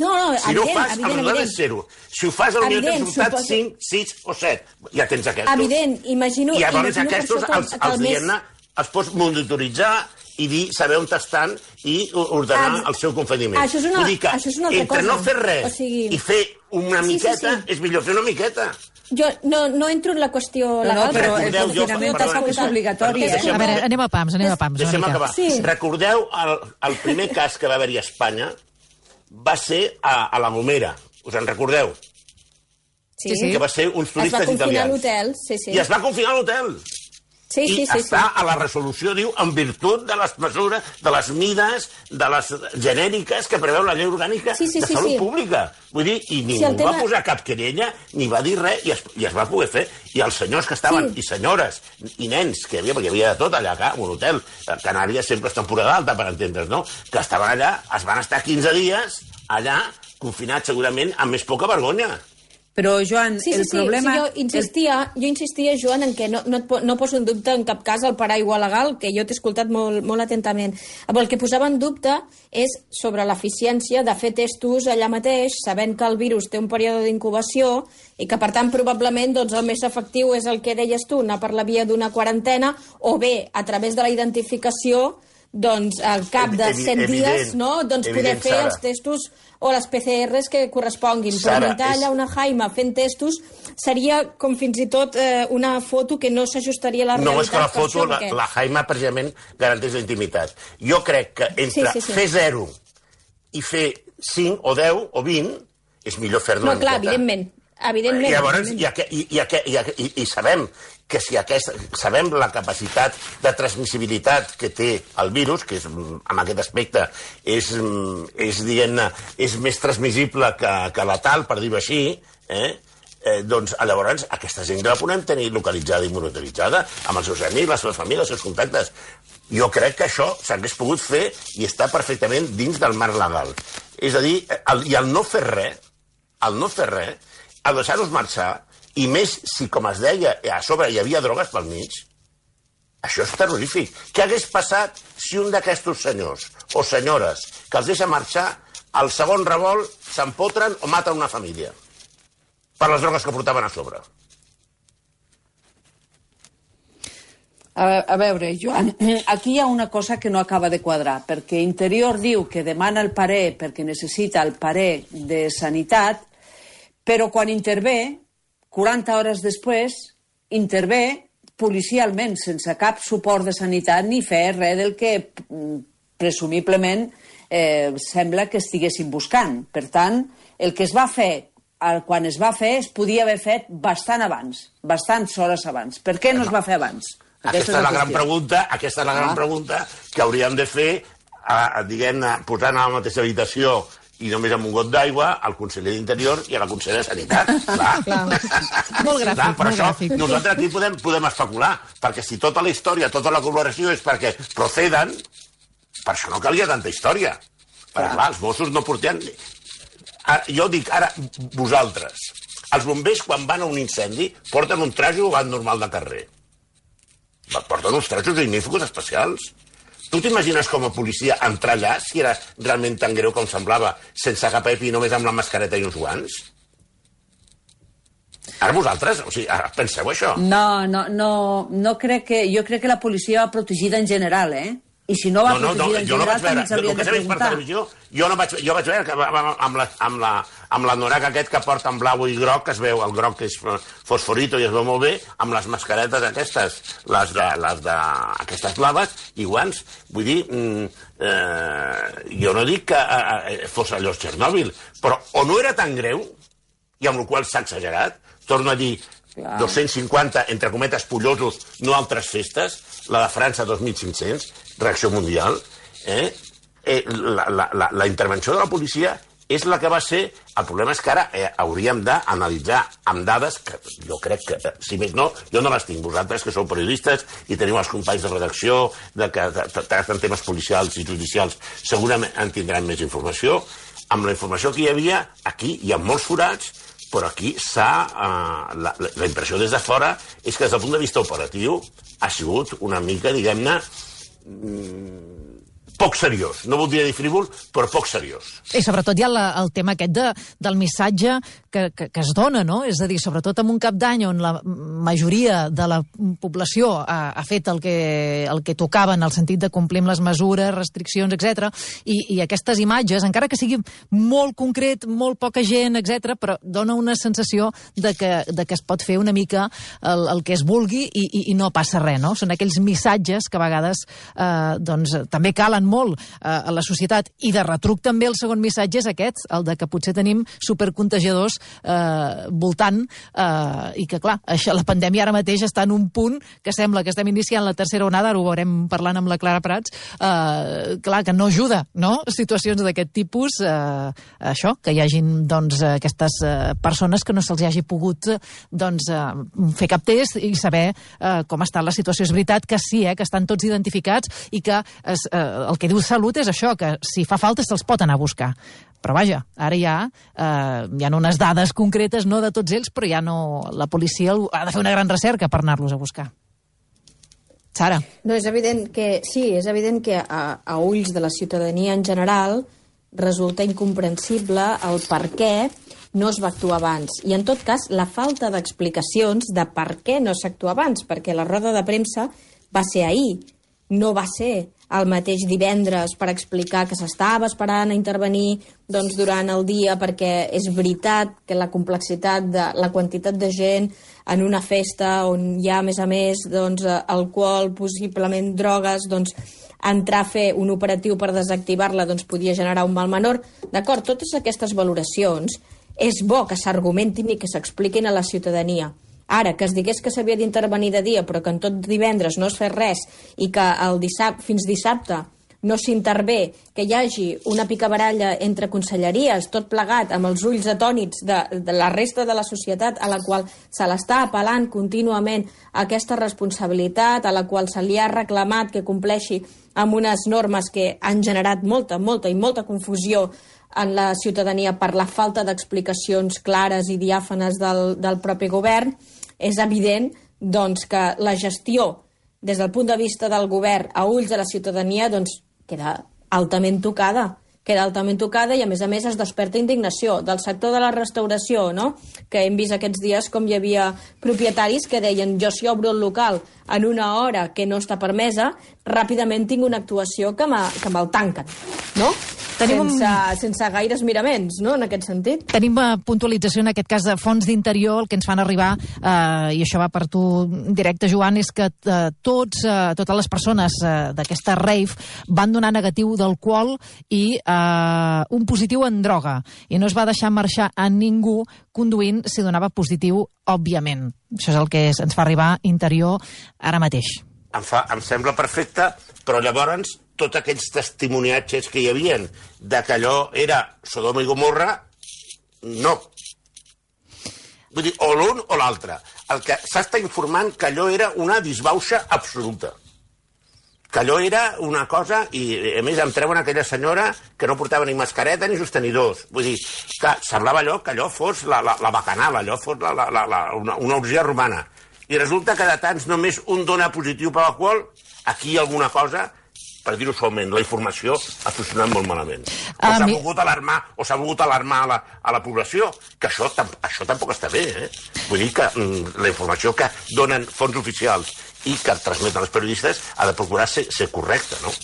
No, no, si evident, no fas, evident, el evident. és zero. Si ho fas, potser tens resultat suposo... cinc, sis o set. Ja tens aquests. Evident, imagino... I llavors imagino aquests, els, els diguem-ne, els pots monitoritzar i dir, saber on estan i ordenar ah, el seu confinament. Això és una, Vull dir que això és una altra entre cosa. no fer res o sigui... i fer una sí, miqueta, sí, sí. és millor fer una miqueta. Jo no, no entro en la qüestió legal. No, no, però el Recordeu, confinament jo, tampoc és obligatori, eh? A veure, anem a pams, anem a pams. Deixem acabar. Sí. Recordeu, el, el primer cas que va haver-hi a Espanya va ser a, a la Gomera. Us en recordeu? Sí, sí. Que va ser uns turistes italians. Es va confinar a l'hotel, sí, sí. I es va confinar a l'hotel. Sí, sí, I sí, està sí. a la resolució, diu, en virtut de les mesures, de les mides, de les genèriques que preveu la llei orgànica sí, sí, de sí, salut sí. pública. Vull dir, i ningú sí, tema... va posar cap querella, ni va dir res, i es, i es va poder fer. I els senyors que estaven, sí. i senyores, i nens, que hi havia, perquè hi havia de tot allà, a un hotel, Canàries sempre és temporada alta, per entendre's, no?, que estaven allà, es van estar quinze dies allà, confinats segurament, amb més poca vergonya. Però, Joan, sí, sí, el sí, problema... Sí, jo insistia, jo insistia, Joan, en que no, no, no poso en dubte en cap cas el paraigua legal, que jo t'he escoltat molt, molt atentament. El que posava en dubte és sobre l'eficiència de fer testos allà mateix, sabent que el virus té un període d'incubació i que, per tant, probablement doncs, el més efectiu és el que deies tu, anar per la via d'una quarantena, o bé, a través de la identificació, doncs, al cap de set dies, no?, doncs poder fer Sara. els testos o les P C Rs que corresponguin. Sara, però muntar allà és... una jaima fent testos seria com fins i tot eh, una foto que no s'ajustaria a la realitat. No, és que la foto, això, la, perquè... la jaima precisament garanteix la intimitat. Jo crec que entre sí, sí, sí. fer zero i fer cinc o deu o vint és millor fer-ne no, una clar, miqueta. evidentment. Evidentment. I llavors, evidentment. I, aqu i, i, aqu i, i, i sabem que si aquest, sabem la capacitat de transmissibilitat que té el virus, que és, en aquest aspecte és, és, diguem-ne, és més transmissible que, que letal, per dir-ho així, eh? Eh, doncs llavors aquesta gent la podem tenir localitzada i monitoritzada amb els seus amics, les seves famílies, els seus contactes. Jo crec que això s'hagués pogut fer i està perfectament dins del marc legal. És a dir, el, i el no fer res, el no fer res, el deixar-los marxar, i més si, com es deia, a sobre hi havia drogues pel mig, Això és terrorífic. Què hagués passat si un d'aquests senyors o senyores que els deixa marxar, al segon revolt s'empotren o maten una família per les drogues que portaven a sobre? A, a veure, Joan, aquí hi ha una cosa que no acaba de quadrar, perquè Interior diu que demana el parer perquè necessita el parer de Sanitat, però quan intervé, quaranta hores després, intervé policialment, sense cap suport de Sanitat ni fer res del que presumiblement eh, sembla que estiguessin buscant. Per tant, el que es va fer quan es va fer es podia haver fet bastant abans, bastants hores abans. Per què no es va fer abans? Aquesta, aquesta és la, la gran pregunta, aquesta és la gran ah. pregunta que hauríem de fer, a, diguem-ne, posant a la mateixa habitació i només amb un got d'aigua al conseller d'Interior i a la consellera de Sanitat. Clar. Clar. Molt gràfic, Clar, per molt això gràfic. nosaltres aquí podem, podem especular, perquè si tota la història, tota la col·laboració és perquè proceden, per això no calia tanta història. Perquè, clar, els Mossos no porten... Ara, jo dic, ara, vosaltres, els bombers, quan van a un incendi, porten un traje o van normal de carrer. Porten uns trajos igníficos especials. Tu t'imagines com a policia entrar allà, si era realment tan greu com semblava, sense cap epi, només amb la mascareta i uns guants? Ara vosaltres, o sigui, ara penseu això. No, no, no, no crec que... Jo crec que la policia va protegida en general, eh? I si no va no, no, protegida no, en jo general, no també ens haurien de preguntar. Per televisió, jo no vaig, jo vaig veure que amb la, amb la, amb la norac aquest que porta en blau i groc, que es veu, el groc que és fosforito i es veu molt bé, amb les mascaretes aquestes, les de, les de aquestes blaves i guants. Vull dir, eh, jo no dic que eh, fos allò Txernòbil, però o no era tan greu, i amb la qual s'ha exagerat, torno a dir, Clar. dos-cents cinquanta, entre cometes, pollosos, no altres festes, la de França, dos mil cinc-cents, reacció mundial, eh? Eh, la, la, la, la intervenció de la policia és la que va ser... El problema és que ara eh, hauríem d'analitzar amb dades que jo crec que, eh, si més no, jo no les tinc. Vosaltres, que sou periodistes i teniu els companys de redacció de que tracten temes policials i judicials, segurament en tindran més informació. Amb la informació que hi havia, aquí hi ha molts forats, però aquí s'ha... Eh, la, la impressió des de fora és que des del punt de vista operatiu ha sigut una mica, diguem-ne, poc seriós. No voldria dir frívol, però poc seriós. I sobretot hi ha la, el tema aquest de, del missatge que, que, que es dona, no? És a dir, sobretot en un cap d'any on la majoria de la població ha, ha fet el que, el que tocava en el sentit de complir amb les mesures, restriccions, etcètera. I, i aquestes imatges, encara que sigui molt concret, molt poca gent, etcètera, però dona una sensació de que, de que es pot fer una mica el, el que es vulgui i, i, i no passa res, no? Són aquells missatges que a vegades eh, doncs, també calen molt eh, a la societat, i de retruc també el segon missatge és aquest, el de que potser tenim supercontagiadors eh, voltant eh, i que clar, això, la pandèmia ara mateix està en un punt que sembla que estem iniciant la tercera onada, ara ho veurem parlant amb la Clara Prats, eh, clar, que no ajuda, no? Situacions d'aquest tipus, eh, això, que hi hagin doncs aquestes eh, persones que no se'ls hagi pogut doncs eh, fer cap test i saber eh, com està la situació. És veritat que sí, eh, que estan tots identificats i que es, eh, el que diu Salut és això, que si fa falta se'ls pot anar a buscar. Però vaja, ara ja eh, hi ha unes dades concretes, no de tots ells, però ja no... La policia ha de fer una gran recerca per anar-los a buscar. Sara. No, és evident que... Sí, és evident que a, a ulls de la ciutadania en general resulta incomprensible el per què no es va actuar abans. I, en tot cas, la falta d'explicacions de per què no s'actua abans, perquè la roda de premsa va ser ahir, no va ser el mateix divendres per explicar que s'estava esperant a intervenir doncs, durant el dia, perquè és veritat que la complexitat de la quantitat de gent en una festa on hi ha, a més a més, doncs, alcohol, possiblement drogues, doncs, entrar a fer un operatiu per desactivar-la doncs, podia generar un mal menor. D'acord, totes aquestes valoracions és bo que s'argumentin i que s'expliquin a la ciutadania. Ara, que es digués que s'havia d'intervenir de dia, però que en tot divendres no es fes res i que el dissabte, fins dissabte no s'intervé, que hi hagi una picabaralla entre conselleries, tot plegat, amb els ulls atònits de, de la resta de la societat, a la qual se l'està apel·lant contínuament aquesta responsabilitat, a la qual se li ha reclamat que compleixi amb unes normes que han generat molta, molta i molta confusió en la ciutadania per la falta d'explicacions clares i diàfanes del, del propi govern. És evident doncs, que la gestió des del punt de vista del govern a ulls de la ciutadania, doncs queda altament tocada. queda altament tocada i, a més a més, es desperta indignació del sector de la restauració, no? Que hem vist aquests dies com hi havia propietaris que deien jo si obro el local en una hora que no està permesa, ràpidament tinc una actuació que me'l tanquen, no? Tenim sense, un... sense gaires miraments, no?, en aquest sentit. Tenim puntualització, en aquest cas, de fons d'interior, el que ens fan arribar, eh, i això va per tu directe, Joan, és que eh, tots, eh, totes les persones eh, d'aquesta rave van donar negatiu d'alcohol i eh, un positiu en droga. I no es va deixar marxar a ningú conduint si donava positiu, òbviament. Això és el que ens fa arribar interior ara mateix. Em, fa, em sembla perfecte, però llavors tots aquells testimoniatges que hi havien de que allò era Sodoma i Gomorra, no. Vull dir, o l'un o l'altre. El que s'està informant que allò era una disbauxa absoluta. Que allò era una cosa, i a més em treuen aquella senyora que no portava ni mascareta ni sostenidors. Vull dir, que semblava allò que allò fos la, la, la bacanal, allò fos la, la, la, la, una, una orgia romana. I resulta que de tants només un dona positiu per l'alcohol, aquí hi ha alguna cosa, per dir-ho suaument, la informació ha funcionat molt malament. O s'ha mi... volgut alarmar, o s'ha volgut alarmar a la, a la població, que això, això tampoc està bé, eh? Vull dir que mm, la informació que donen fons oficials i que transmeten els periodistes ha de procurar ser, ser correcta, no?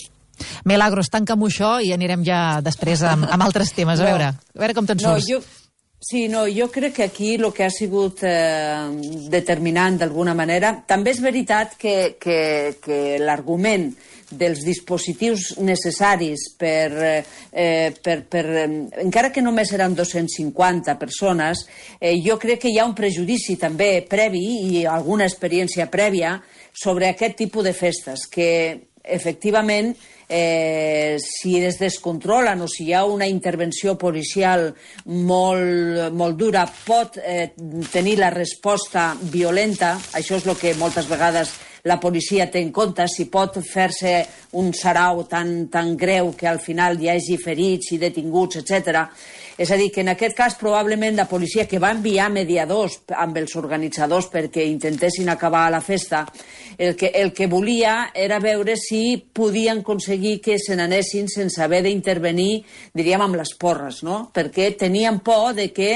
Milagros, tanca'm això i anirem ja després amb, amb altres temes. A veure, a veure com te'n surts. No, jo... Sí, no, jo crec que aquí el que ha sigut eh, determinant d'alguna manera... També és veritat que, que, que l'argument dels dispositius necessaris per, eh, per, per... Encara que només eren dos-cents cinquanta persones, eh, jo crec que hi ha un prejudici també previ i alguna experiència prèvia sobre aquest tipus de festes, que efectivament... Eh, si es descontrolen o si hi ha una intervenció policial molt, molt dura, pot eh, tenir la resposta violenta. Això és el que moltes vegades la policia té en compte, si pot fer-se un sarau tan, tan greu que al final hi hagi ferits i detinguts, etcètera. És a dir, que en aquest cas probablement la policia, que va enviar mediadors amb els organitzadors perquè intentessin acabar la festa, el que, el que volia era veure si podien aconseguir que se n'anessin sense haver d'intervenir, diríem, amb les porres, no? Perquè tenien por de que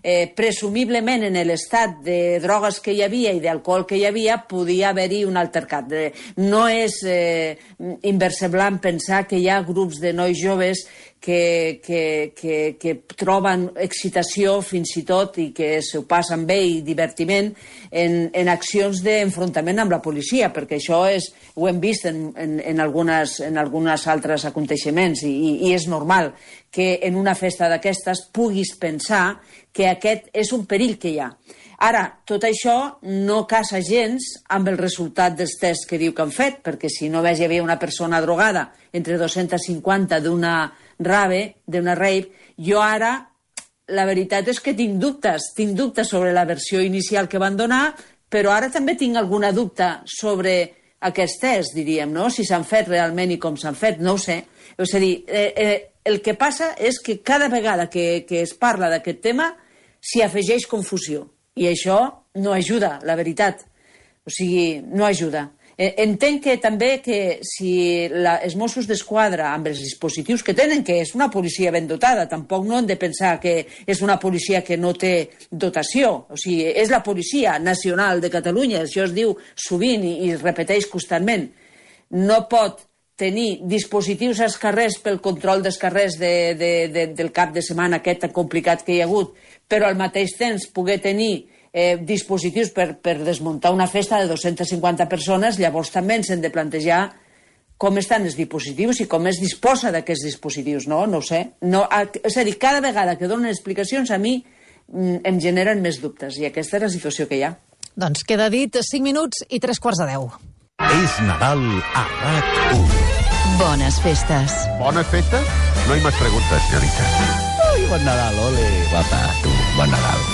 eh, presumiblement en l'estat de drogues que hi havia i d'alcohol que hi havia podia haver-hi un altercat. De, no és eh, inversemblant pensar que hi ha grups de nois joves que, que, que, que troben excitació fins i tot i que s'ho passen bé i divertiment en, en accions d'enfrontament amb la policia, perquè això és, ho hem vist en, en, en, algunes, en algunes altres aconteixements i, i, i és normal que en una festa d'aquestes puguis pensar que aquest és un perill que hi ha. Ara, tot això no casa gens amb el resultat dels tests que diu que han fet, perquè si no veig hi havia una persona drogada entre dos-cents cinquanta d'una rave, d'una rave, jo ara, la veritat és que tinc dubtes, tinc dubtes sobre la versió inicial que van donar, però ara també tinc alguna dubte sobre aquests tests, diríem, no? Si s'han fet realment i com s'han fet, no ho sé. És a dir, eh, eh, el que passa és que cada vegada que, que es parla d'aquest tema s'hi afegeix confusió. I això no ajuda, la veritat. O sigui, no ajuda. Entenc que també que si la, els Mossos d'Esquadra, amb els dispositius que tenen, que és una policia ben dotada, tampoc no hem de pensar que és una policia que no té dotació. O sigui, és la Policia Nacional de Catalunya, això es diu sovint i, i es repeteix constantment. No pot tenir dispositius als carrers pel control dels carrers de, de, de, del cap de setmana aquest tan complicat que hi ha hagut, però al mateix temps poder tenir eh, dispositius per, per desmuntar una festa de dos-cents cinquanta persones, llavors també ens hem de plantejar com estan els dispositius i com es disposa d'aquests dispositius, no? No ho sé. No, a, és a dir, cada vegada que donen explicacions a mi mm, em generen més dubtes i aquesta és la situació que hi ha. Doncs queda dit cinc minuts i tres quarts de deu. És Nadal a RAC u. Bones festes. Bones festes? No hay más preguntas, señorita. Ui, bon Nadal, ole. Guapa, tu, bon Nadal.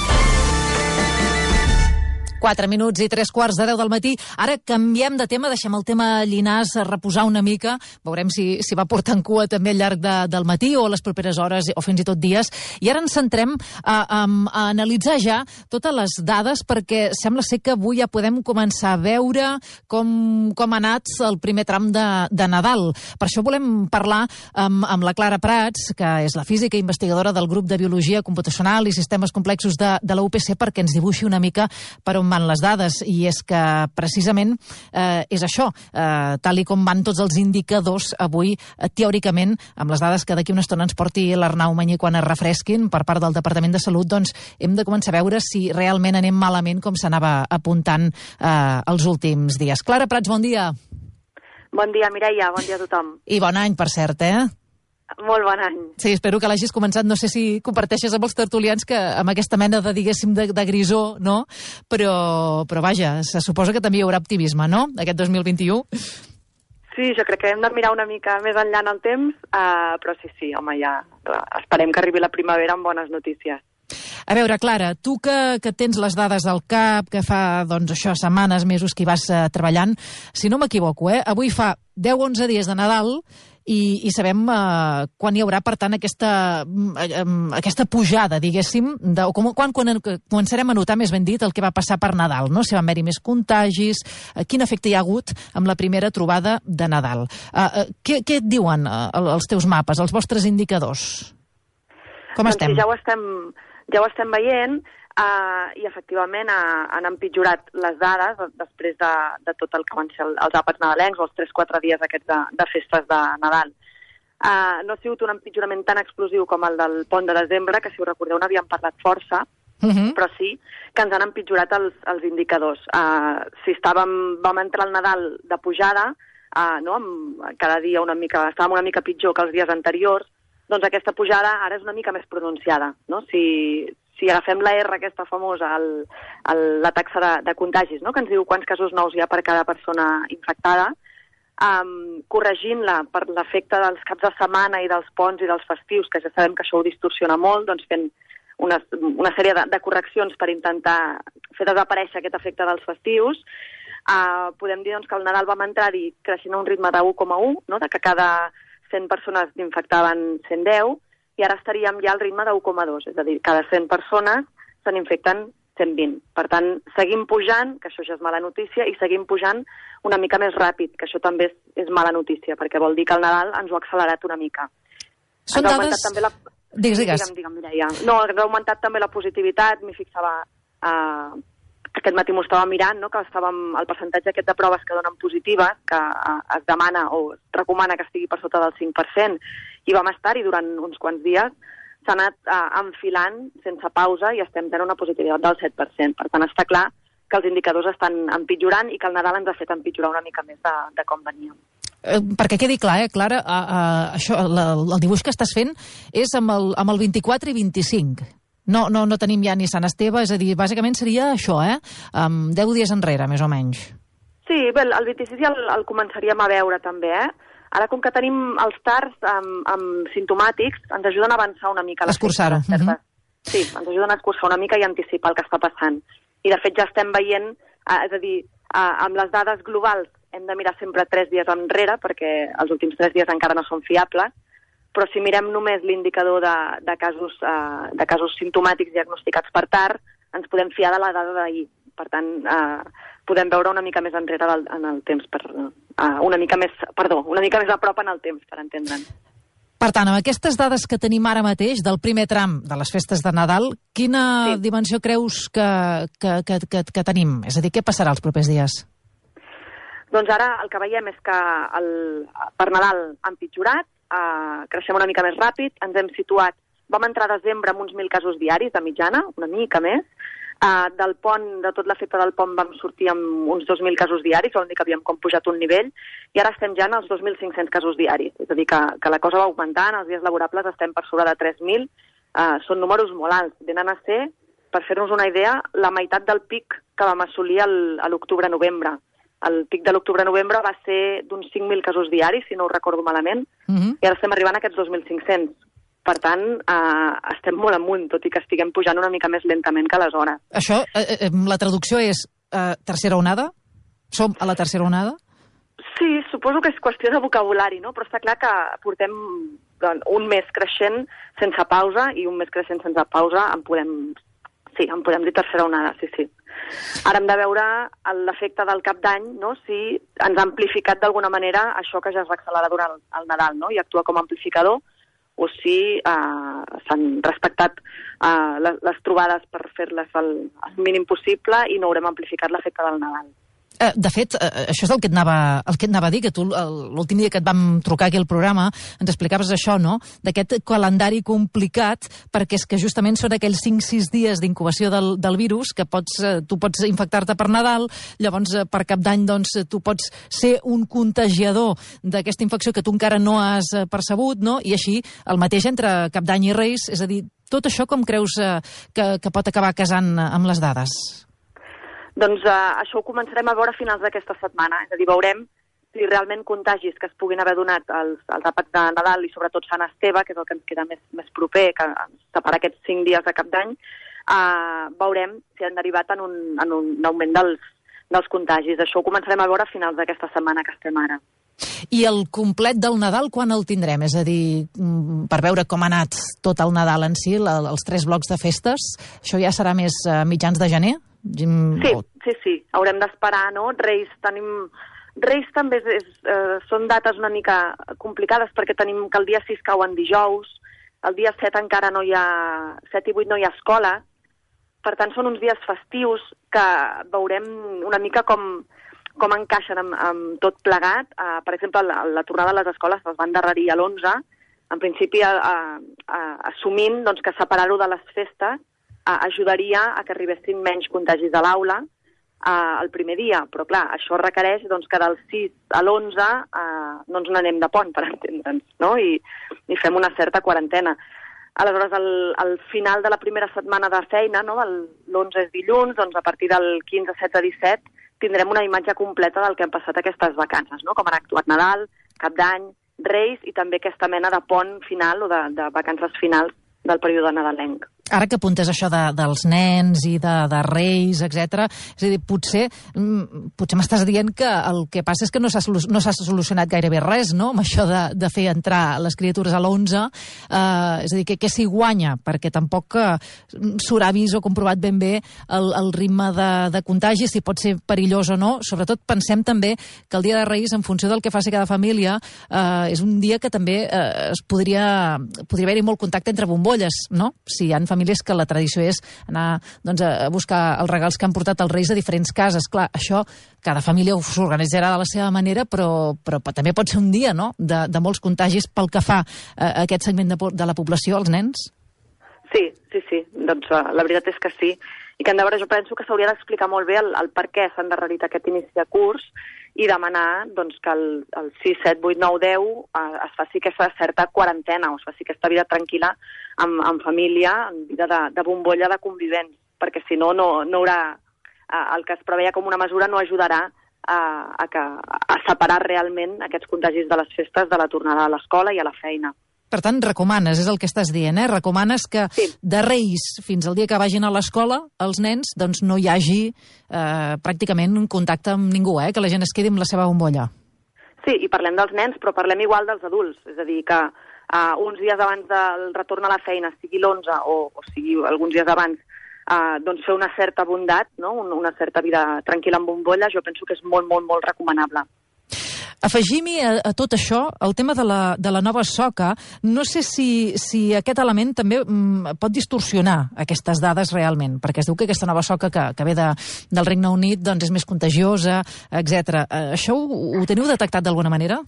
Quatre minuts i tres quarts de deu del matí. Ara canviem de tema, deixem el tema Llinars a reposar una mica. Veurem si, si va portant cua també al llarg de, del matí o a les properes hores o fins i tot dies. I ara ens centrem a, a, a analitzar ja totes les dades, perquè sembla ser que avui ja podem començar a veure com, com ha anat el primer tram de, de Nadal. Per això volem parlar amb, amb la Clara Prats, que és la física i investigadora del grup de Biologia Computacional i Sistemes Complexos de, de la U P C, perquè ens dibuixi una mica per on van les dades, i és que precisament eh, és això, eh, tal i com van tots els indicadors avui, eh, teòricament, amb les dades que d'aquí una estona ens porti l'Arnau Mañé quan es refresquin per part del Departament de Salut, doncs hem de començar a veure si realment anem malament com s'anava apuntant eh, els últims dies. Clara Prats, bon dia. Bon dia, Mireia, bon dia a tothom. I bon any, per cert, eh? Molt bon any. Sí, espero que l'hagis començat, no sé si comparteixes amb els tertulians que amb aquesta mena de, diguéssim, de, de grisó, no? Però, però vaja, se suposa que també hi haurà optimisme, no?, aquest dos mil vint-i-u. Sí, jo crec que hem de mirar una mica més enllà en el temps, uh, però sí, sí, home, ja esperem que arribi la primavera amb bones notícies. A veure, Clara, tu que, que tens les dades al cap, que fa, doncs, això, setmanes, mesos que hi vas uh, treballant, si no m'equivoco, eh, avui fa deu onze dies de Nadal, i, i sabem uh, quan hi haurà, per tant, aquesta, uh, aquesta pujada, diguéssim, de, o com, quan, quan començarem a notar, més ben dit, el que va passar per Nadal, no? Si van haver-hi més contagis, uh, quin efecte hi ha hagut amb la primera trobada de Nadal. Uh, uh, què, què et diuen uh, els teus mapes, els vostres indicadors? Com doncs estem? Sí, ja ho estem, ja ho estem veient, Uh, i efectivament uh, han empitjorat les dades després de, de tot el que van ser els àpats nadalencs o els tres quatre dies aquests de, de festes de Nadal. Uh, no ha sigut un empitjorament tan explosiu com el del pont de desembre, que si ho recordeu n'havíem parlat força, uh-huh. però sí que ens han empitjorat els, els indicadors. Uh, si estàvem, vam entrar al Nadal de pujada, uh, no, amb, cada dia una mica, estàvem una mica pitjor que els dies anteriors, doncs aquesta pujada ara és una mica més pronunciada, no? Si, si agafem la R, aquesta famosa, el, el, la taxa de, de contagis, no?, que ens diu quants casos nous hi ha per cada persona infectada, um, corregint-la per l'efecte dels caps de setmana i dels ponts i dels festius, que ja sabem que això ho distorsiona molt, doncs fent una, una sèrie de, de correccions per intentar fer desaparèixer aquest efecte dels festius, uh, podem dir doncs, que el Nadal vam entrar-hi creixent a un ritme de u coma u, no?, de que cada cent persones n'infectaven cent deu, i ara estaríem ja al ritme de u coma dos, és a dir, cada cent persones se n'infecten cent vint. Per tant, seguim pujant, que això ja és mala notícia, i seguim pujant una mica més ràpid, que això també és, és mala notícia, perquè vol dir que el Nadal ens ho ha accelerat una mica. Són ens dades... també la... Digues, digues. Digue'm, digue'm, Mireia. No, ens ha augmentat també la positivitat, m'hi fixava... Uh, aquest matí m'ho estava mirant, no?, que estàvem, el percentatge aquest de proves que donen positives, que uh, es demana o es recomana que estigui per sota del cinc per cent, i vam estar-hi durant uns quants dies, s'ha anat uh, enfilant sense pausa i estem tenint una positivitat del set per cent. Per tant, està clar que els indicadors estan empitjorant i que el Nadal ens ha fet empitjorar una mica més de, de com veníem. Eh, perquè quedi clar, eh, Clara, uh, uh, això, la, el dibuix que estàs fent és amb el, amb el vint-i-quatre i vint-i-cinc. No, no, no tenim ja ni Sant Esteve, és a dir, bàsicament seria això, eh? Um, deu dies enrere, més o menys. Sí, bé, el vint-i-sis ja el, el començaríem a veure també, eh? Ara, com que tenim els tars amb, amb simptomàtics, ens ajuden a avançar una mica. Escurçar-ho. Uh-huh. Sí, ens ajuden a escurçar una mica i anticipar el que està passant. I, de fet, ja estem veient, eh, és a dir, eh, amb les dades globals hem de mirar sempre tres dies enrere, perquè els últims tres dies encara no són fiables, però si mirem només l'indicador de, de, casos, uh, de casos simptomàtics diagnosticats per tard, ens podem fiar de la dada d'ahir. Per tant, uh, podem veure una mica més enrere del, en el temps, per, uh, una mica més, perdó, una mica més a prop en el temps, per entendre'n. Per tant, amb aquestes dades que tenim ara mateix del primer tram de les festes de Nadal, quina sí. dimensió creus que, que, que, que, que tenim? És a dir, què passarà els propers dies? Doncs ara el que veiem és que el, per Nadal han pitjorat, Uh, creixem una mica més ràpid, ens hem situat, vam entrar a desembre amb uns mil casos diaris de mitjana, una mica més, uh, del pont, de tot l'efecte del pont vam sortir amb uns dos mil casos diaris, vol dir que havíem com pujat un nivell, i ara estem ja en els dos mil cinc-cents casos diaris, és a dir, que, que la cosa va augmentant, els dies laborables estem per sobre de tres mil, uh, són números molt alts, venen a ser, per fer-nos una idea, la meitat del pic que vam assolir el, a l'octubre-novembre. El pic de l'octubre-novembre va ser d'uns cinc mil casos diaris, si no ho recordo malament, uh-huh. i ara estem arribant a aquests dos mil cinc-cents. Per tant, eh, estem molt amunt, tot i que estiguem pujant una mica més lentament que aleshores. Això, eh, eh, la traducció és eh, tercera onada? Som a la tercera onada? Sí, suposo que és qüestió de vocabulari, no? Però està clar que portem doncs, un mes creixent sense pausa i un mes creixent sense pausa en podem, sí, en podem dir tercera onada, sí, sí. Ara hem de veure l'efecte del cap d'any, no? Si ens ha amplificat d'alguna manera això que ja es va accelerar durant el, el Nadal, no? I actua com a amplificador, o si eh, s'han respectat eh, les, les trobades per fer-les el, el mínim possible i no haurem amplificat l'efecte del Nadal. Eh, de fet, eh, això és el que et anava, el que et anava a dir, que tu l'últim dia que et vam trucar aquí al programa ens explicaves això, no?, d'aquest calendari complicat, perquè és que justament són aquells cinc sis dies d'incubació del, del virus que pots, eh, tu pots infectar-te per Nadal, llavors eh, per Cap d'Any doncs, tu pots ser un contagiador d'aquesta infecció que tu encara no has eh, percebut, no?, i així el mateix entre Cap d'Any i Reis, és a dir, tot això com creus eh, que, que pot acabar casant amb les dades? Doncs eh, això ho començarem a veure a finals d'aquesta setmana. És a dir, veurem si realment contagis que es puguin haver donat als, als àpats de Nadal i sobretot Sant Esteve, que és el que ens queda més, més proper, que ens separa aquests cinc dies de Cap d'Any, eh, veurem si han derivat en un, en un augment dels, dels contagis. Això ho començarem a veure a finals d'aquesta setmana que estem ara. I el complet del Nadal, quan el tindrem? És a dir, per veure com ha anat tot el Nadal en si, la, els tres blocs de festes, això ja serà més a mitjans de gener? Sí, sí, sí. Haurem d'esperar, no? Reis tenim... Reis també és, és, eh, són dates una mica complicades perquè tenim que el dia sis cau en dijous, el dia set encara no hi ha... set i vuit no hi ha escola, per tant són uns dies festius que veurem una mica com, com encaixen amb, amb tot plegat. Uh, per exemple, la, la tornada a les escoles es va endarrerir a l'onze, en principi a, a, a, assumint doncs, que separar-ho de les festes Uh, ajudaria a que arribessin menys contagis a l'aula uh, el primer dia, però clar, això requereix doncs, que del sis a l'onze uh, no ens n'anem de pont, per entendre'ns, no? I, i fem una certa quarantena. Aleshores, al, al final de la primera setmana de feina, no? l'onze és dilluns, doncs a partir del quinze, setze, disset, tindrem una imatge completa del que han passat aquestes vacances, no? Com han actuat Nadal, Cap d'Any, Reis i també aquesta mena de pont final o de, de vacances finals del període nadalenc. Ara que apuntes això de, dels nens i de, de reis, etcètera, és a dir, potser, potser m'estàs dient que el que passa és que no s'ha no s'ha solucionat gairebé res, no?, amb això de, de fer entrar les criatures a l'onze, eh, és a dir, que, que s'hi guanya, perquè tampoc eh, s'haurà vist o comprovat ben bé el, el ritme de, de contagi, si pot ser perillós o no. Sobretot pensem també que el dia de Reis, en funció del que faci cada família, eh, és un dia que també eh, es podria, podria haver-hi molt contacte entre bombolles, no?, si hi ha famílies que la tradició és anar doncs, a buscar els regals que han portat els Reis a diferents cases. Clar, això cada família s'organitzarà de la seva manera, però, però també pot ser un dia, no?, de, de molts contagis pel que fa a aquest segment de, de la població, els nens. Sí, sí, sí. Doncs uh, la veritat és que sí. I que, en veure, jo penso que s'hauria d'explicar molt bé el, el per què s'ha endarrerit aquest inici de curs i demanar doncs, que el, el sis, set, vuit, nou, deu eh, es faci aquesta certa quarantena, o es faci aquesta vida tranquil·la amb, amb família, en vida de, de bombolla de convivents, perquè si no, no, no haurà... Eh, el que es preveia com una mesura no ajudarà a, a, que, a separar realment aquests contagis de les festes de la tornada a l'escola i a la feina. Per tant, recomanes, és el que estàs dient, eh? Recomanes que sí. de Reis fins al dia que vagin a l'escola, els nens, doncs no hi hagi eh, pràcticament un contacte amb ningú, eh? Que la gent es quedi amb la seva bombolla. Sí, i parlem dels nens, però parlem igual dels adults. És a dir, que uh, uns dies abans del retorn a la feina, sigui l'onze o, o sigui alguns dies abans, uh, doncs fer una certa bondat, no? una certa vida tranquil·la amb bombolla, jo penso que és molt, molt, molt recomanable. Afegim-hi a, a tot això el tema de la, de la nova soca. No sé si, si aquest element també mm, pot distorsionar aquestes dades realment, perquè es diu que aquesta nova soca que, que ve de, del Regne Unit doncs és més contagiosa, etcètera. Eh, això ho, ho teniu detectat d'alguna manera?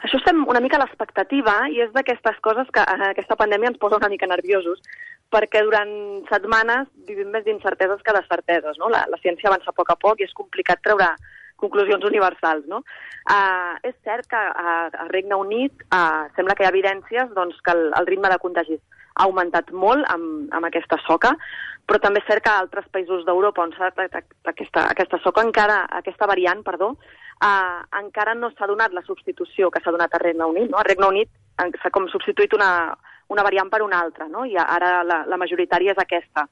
Això estem una mica a l'expectativa i és d'aquestes coses que eh, aquesta pandèmia ens posa una mica nerviosos, perquè durant setmanes vivim més d'incerteses que de certeses, no? La, la ciència avança a poc a poc i és complicat treure conclusions universals, no? Uh, és cert que uh, a Regne Unit uh, sembla que hi ha evidències doncs, que el, el ritme de contagis ha augmentat molt amb, amb aquesta soca, però també és cert que a altres països d'Europa on s'ha detectat aquesta, aquesta soca, encara, aquesta variant, perdó, uh, encara no s'ha donat la substitució que s'ha donat a Regne Unit, no? A Regne Unit s'ha com substituït una, una variant per una altra, no? I ara la, la majoritària és aquesta.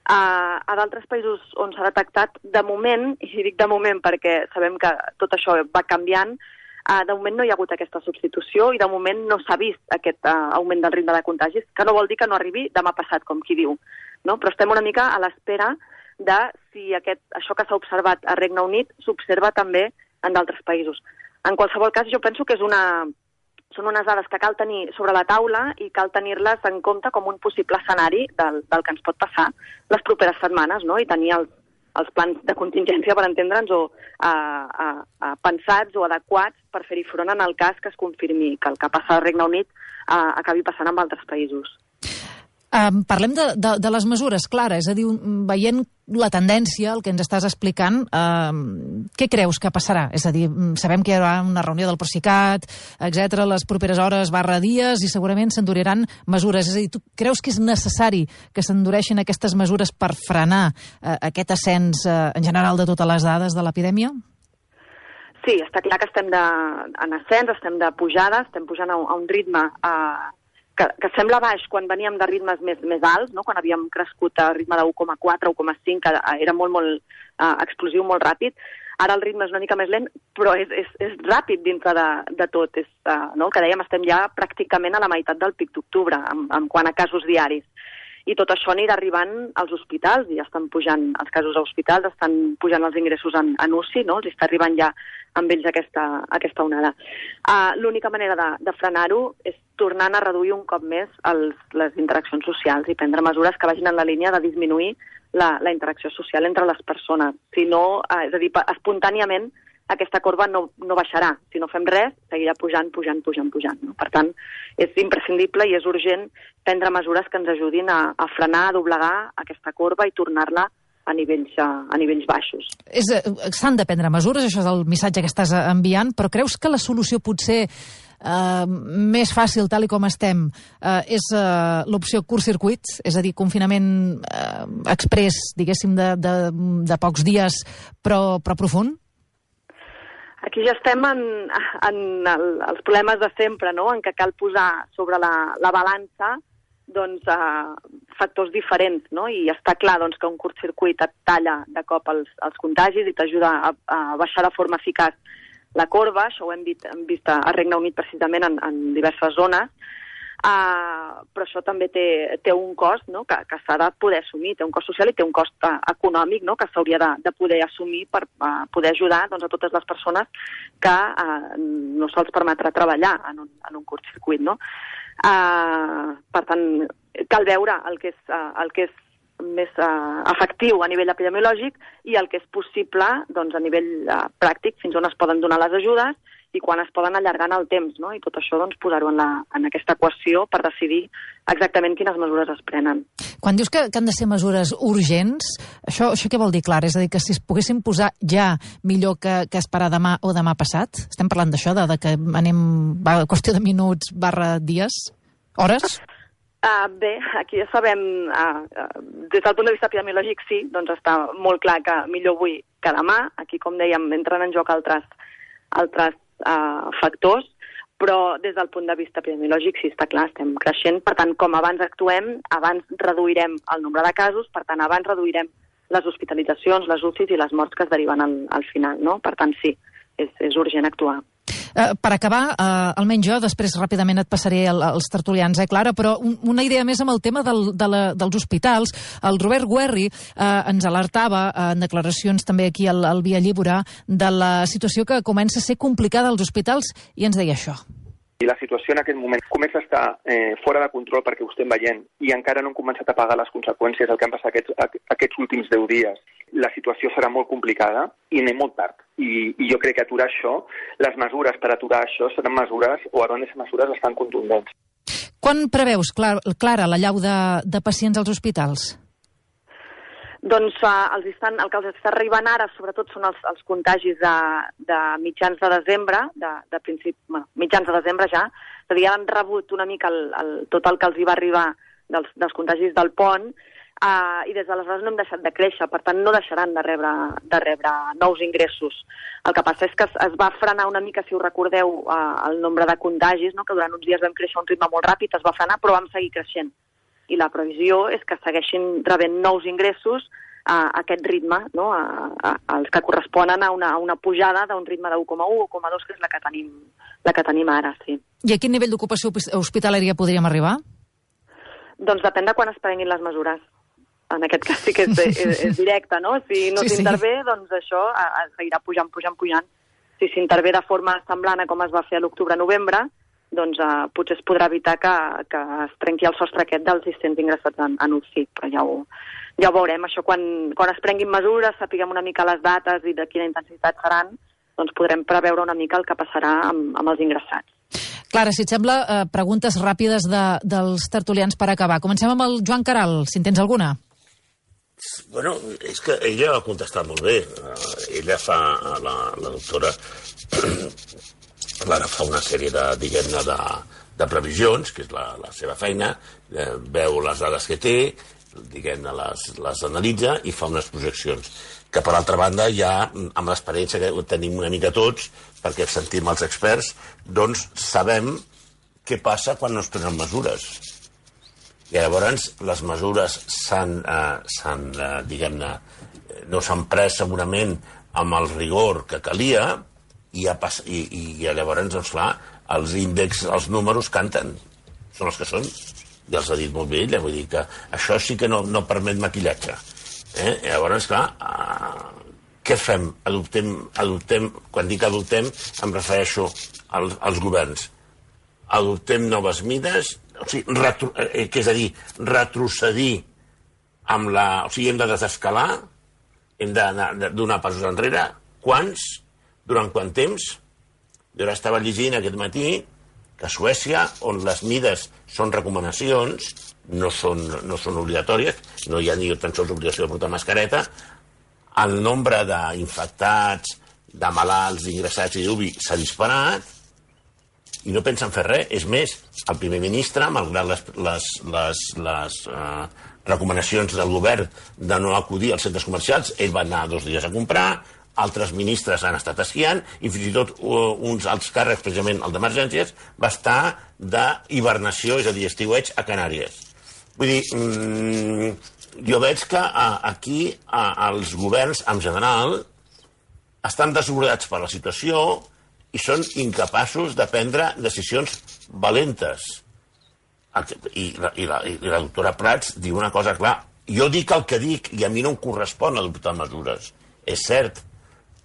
Uh, a d'altres països on s'ha detectat, de moment, i dic de moment perquè sabem que tot això va canviant, uh, de moment no hi ha hagut aquesta substitució i de moment no s'ha vist aquest uh, augment del ritme de contagis, que no vol dir que no arribi demà passat, com qui diu, no? Però estem una mica a l'espera de si aquest, això que s'ha observat a Regne Unit s'observa també en d'altres països. En qualsevol cas, jo penso que és una, són unes dades que cal tenir sobre la taula i cal tenir-les en compte com un possible escenari del, del que ens pot passar les properes setmanes, no? I tenir els, els plans de contingència, per entendre'ns, o a, a, a pensats o adequats per fer-hi front en el cas que es confirmi que el que passa al Regne Unit a, acabi passant en altres països. Um, parlem de, de, de les mesures, Clara, és a dir, veient la tendència, el que ens estàs explicant, um, què creus que passarà? És a dir, sabem que hi haurà una reunió del Procicat, etcètera, les properes hores barra dies, i segurament s'enduriran mesures. És a dir, tu creus que és necessari que s'endureixin aquestes mesures per frenar uh, aquest ascens uh, en general de totes les dades de l'epidèmia? Sí, està clar que estem de, en ascens, estem de pujada, estem pujant a, a un ritme uh, Que, que sembla baix quan veníem de ritmes més, més alts, no? Quan havíem crescut a ritme de u coma quatre, u coma cinc, que era molt, molt uh, explosiu, molt ràpid. Ara el ritme és una mica més lent, però és, és, és ràpid dintre de, de tot. És, uh, no? El que dèiem, estem ja pràcticament a la meitat del pic d'octubre, en, en quant a casos diaris. I tot això anirà arribant als hospitals, i ja estan pujant els casos a hospitals, estan pujant els ingressos en, en U C I, no? Els està arribant ja amb ells aquesta, aquesta onada. Uh, L'única manera de, de frenar-ho és tornant a reduir un cop més els, les interaccions socials i prendre mesures que vagin en la línia de disminuir la, la interacció social entre les persones. Si no, uh, és a dir, espontàniament aquesta corba no, no baixarà. Si no fem res, seguirà pujant, pujant, pujant, pujant. No? Per tant, és imprescindible i és urgent prendre mesures que ens ajudin a, a frenar, a doblegar aquesta corba i tornar-la a nivells, a, a nivells baixos. S'han de prendre mesures, això és el missatge que estàs enviant, però creus que la solució potser Uh, més fàcil, tal i com estem, uh, és uh, l'opció curt-circuit, és a dir, confinament uh, express, diguéssim, de, de, de pocs dies, però, però profund? Aquí ja estem en, en el, els problemes de sempre, no? En què cal posar sobre la, la balança doncs, uh, factors diferents, no? I està clar doncs, que un curt-circuit et talla de cop els, els contagis i t'ajuda a, a baixar de forma eficaç la corba. Això ho hem vist, hem vist a Regne Unit precisament en, en diverses zones, uh, però això també té, té un cost, no? que, que s'ha de poder assumir, té un cost social i té un cost uh, econòmic, no? Que s'hauria de, de poder assumir per uh, poder ajudar doncs, a totes les persones que uh, no se'ls permetrà treballar en un, en un curt-circuit. No? Uh, per tant, cal veure el que és, uh, el que és més uh, efectiu a nivell epidemiològic i el que és possible doncs, a nivell uh, pràctic, fins on es poden donar les ajudes i quan es poden allargar en el temps, no? I tot això doncs, posar-ho en, la, en aquesta equació per decidir exactament quines mesures es prenen. Quan dius que, que han de ser mesures urgents, això, això què vol dir, Clara? És a dir, que si es poguessin posar ja millor que, que esperar demà o demà passat? Estem parlant d'això, de, de que anem va, qüestió de minuts barra dies? Hores? Uh, bé, aquí ja sabem, uh, uh, des del punt de vista epidemiològic sí, doncs està molt clar que millor avui que demà. Aquí, com dèiem, entren en joc altres, altres uh, factors, però des del punt de vista epidemiològic sí, està clar, estem creixent. Per tant, com abans actuem, abans reduirem el nombre de casos, per tant, abans reduirem les hospitalitzacions, les U C Is i les morts que es deriven al, al final, no? Per tant, sí, és, és urgent actuar. Uh, per acabar, uh, almenys jo, després ràpidament et passaré el, els tertulians, eh, Clara, però un, una idea més amb el tema del, de la, dels hospitals. El Robert Guerri uh, ens alertava uh, en declaracions també aquí al, al Via Lliure de la situació que comença a ser complicada als hospitals i ens deia això. I la situació en aquest moment comença a estar eh, fora de control perquè ho estem veient i encara no hem començat a pagar les conseqüències del que han passat aquests, aquests últims deu dies. La situació serà molt complicada i anem molt tard. I, i jo crec que aturar això, les mesures per aturar això seran mesures, o hauran de ser mesures bastant contundents. Quan preveus, Clara, l'allau de, de pacients als hospitals? Doncs uh, els estan, el que els està arribant ara, sobretot, són els, els contagis de, de mitjans de desembre, de, de principi, bueno, mitjans de desembre ja, és a dir, han rebut una mica el, el, tot el que els hi va arribar dels, dels contagis del pont, Uh, i des d'aleshores no hem deixat de créixer, per tant no deixaran de rebre, de rebre nous ingressos. El que passa és que es, es va frenar una mica, si us recordeu, uh, el nombre de contagis, no? Que durant uns dies vam créixer a un ritme molt ràpid, es va frenar, però vam seguir creixent. I la previsió és que segueixin rebent nous ingressos a, a aquest ritme, no? a, a, als que corresponen a una, a una pujada d'un ritme de u coma u o u coma dos, que és la que tenim, la que tenim ara, sí. I a quin nivell d'ocupació hospitalària podríem arribar? Doncs depèn de quan es prenguin les mesures. En aquest cas sí que és, és, és directe, no? Si no sí, s'intervé, sí. doncs això es seguirà pujant, pujant, pujant. Si s'intervé de forma semblant a com es va fer a l'octubre-novembre, doncs eh, potser es podrà evitar que, que es trenqui el sostre aquest dels sis-cents ingressats en, en U C I, però ja ho, ja ho veurem. Això quan, quan es prenguin mesures, sapiguem una mica les dates i de quina intensitat seran, doncs podrem preveure una mica el que passarà amb, amb els ingressats. Clara, si et sembla, eh, preguntes ràpides de, dels tertulians per acabar. Comencem amb el Joan Caral, si en tens alguna. Bueno, és que ella ha contestat molt bé. Uh, ella fa, la, la doctora Clara fa una sèrie de, diguem-ne, de, de previsions, que és la, la seva feina, eh, veu les dades que té, diguem-ne, les, les analitza i fa unes projeccions. Que, per altra banda, ja, amb l'experiència que tenim una mica tots, perquè sentim els experts, doncs sabem què passa quan no es prenen mesures. I llavors les mesures s'han, eh, eh, diguem-ne, no s'han pres segurament amb el rigor que calia i, ha pas, i, i llavors, doncs clar, els índexs, els números canten. Són els que són. Ja els ha dit molt bé ella, vull dir que això sí que no, no permet maquillatge. Eh? I llavors, clar, eh, què fem? Adoptem, adoptem, quan dic adoptem, em refereixo als, als governs. Adoptem noves mides, o sigui, retro, eh, que és a dir, retrocedir amb la... O sigui, hem de desescalar, hem de, de donar passos enrere. Quants? Durant quant temps? Jo ara estava llegint aquest matí que a Suècia, on les mides són recomanacions, no són, no són obligatòries, no hi ha ni tan sols obligació de portar mascareta, el nombre d'infectats, de malalts, ingressats i d'ubi s'ha disparat, i no pensen fer res. És més, el primer ministre, malgrat les, les, les, les uh, recomanacions del govern de no acudir als centres comercials, ell va anar dos dies a comprar, altres ministres han estat esquiant, i fins i tot uh, uns alts càrrecs, precisament el d'emergències, va estar d'hibernació, és a dir, estiueig, a Canàries. Vull dir, mm, jo veig que uh, aquí uh, els governs, en general, estan desbordats per la situació i són incapaços de prendre decisions valentes. I la, i, la, i la doctora Prats diu una cosa clar. Jo dic el que dic i a mi no em correspon adoptar mesures. És cert.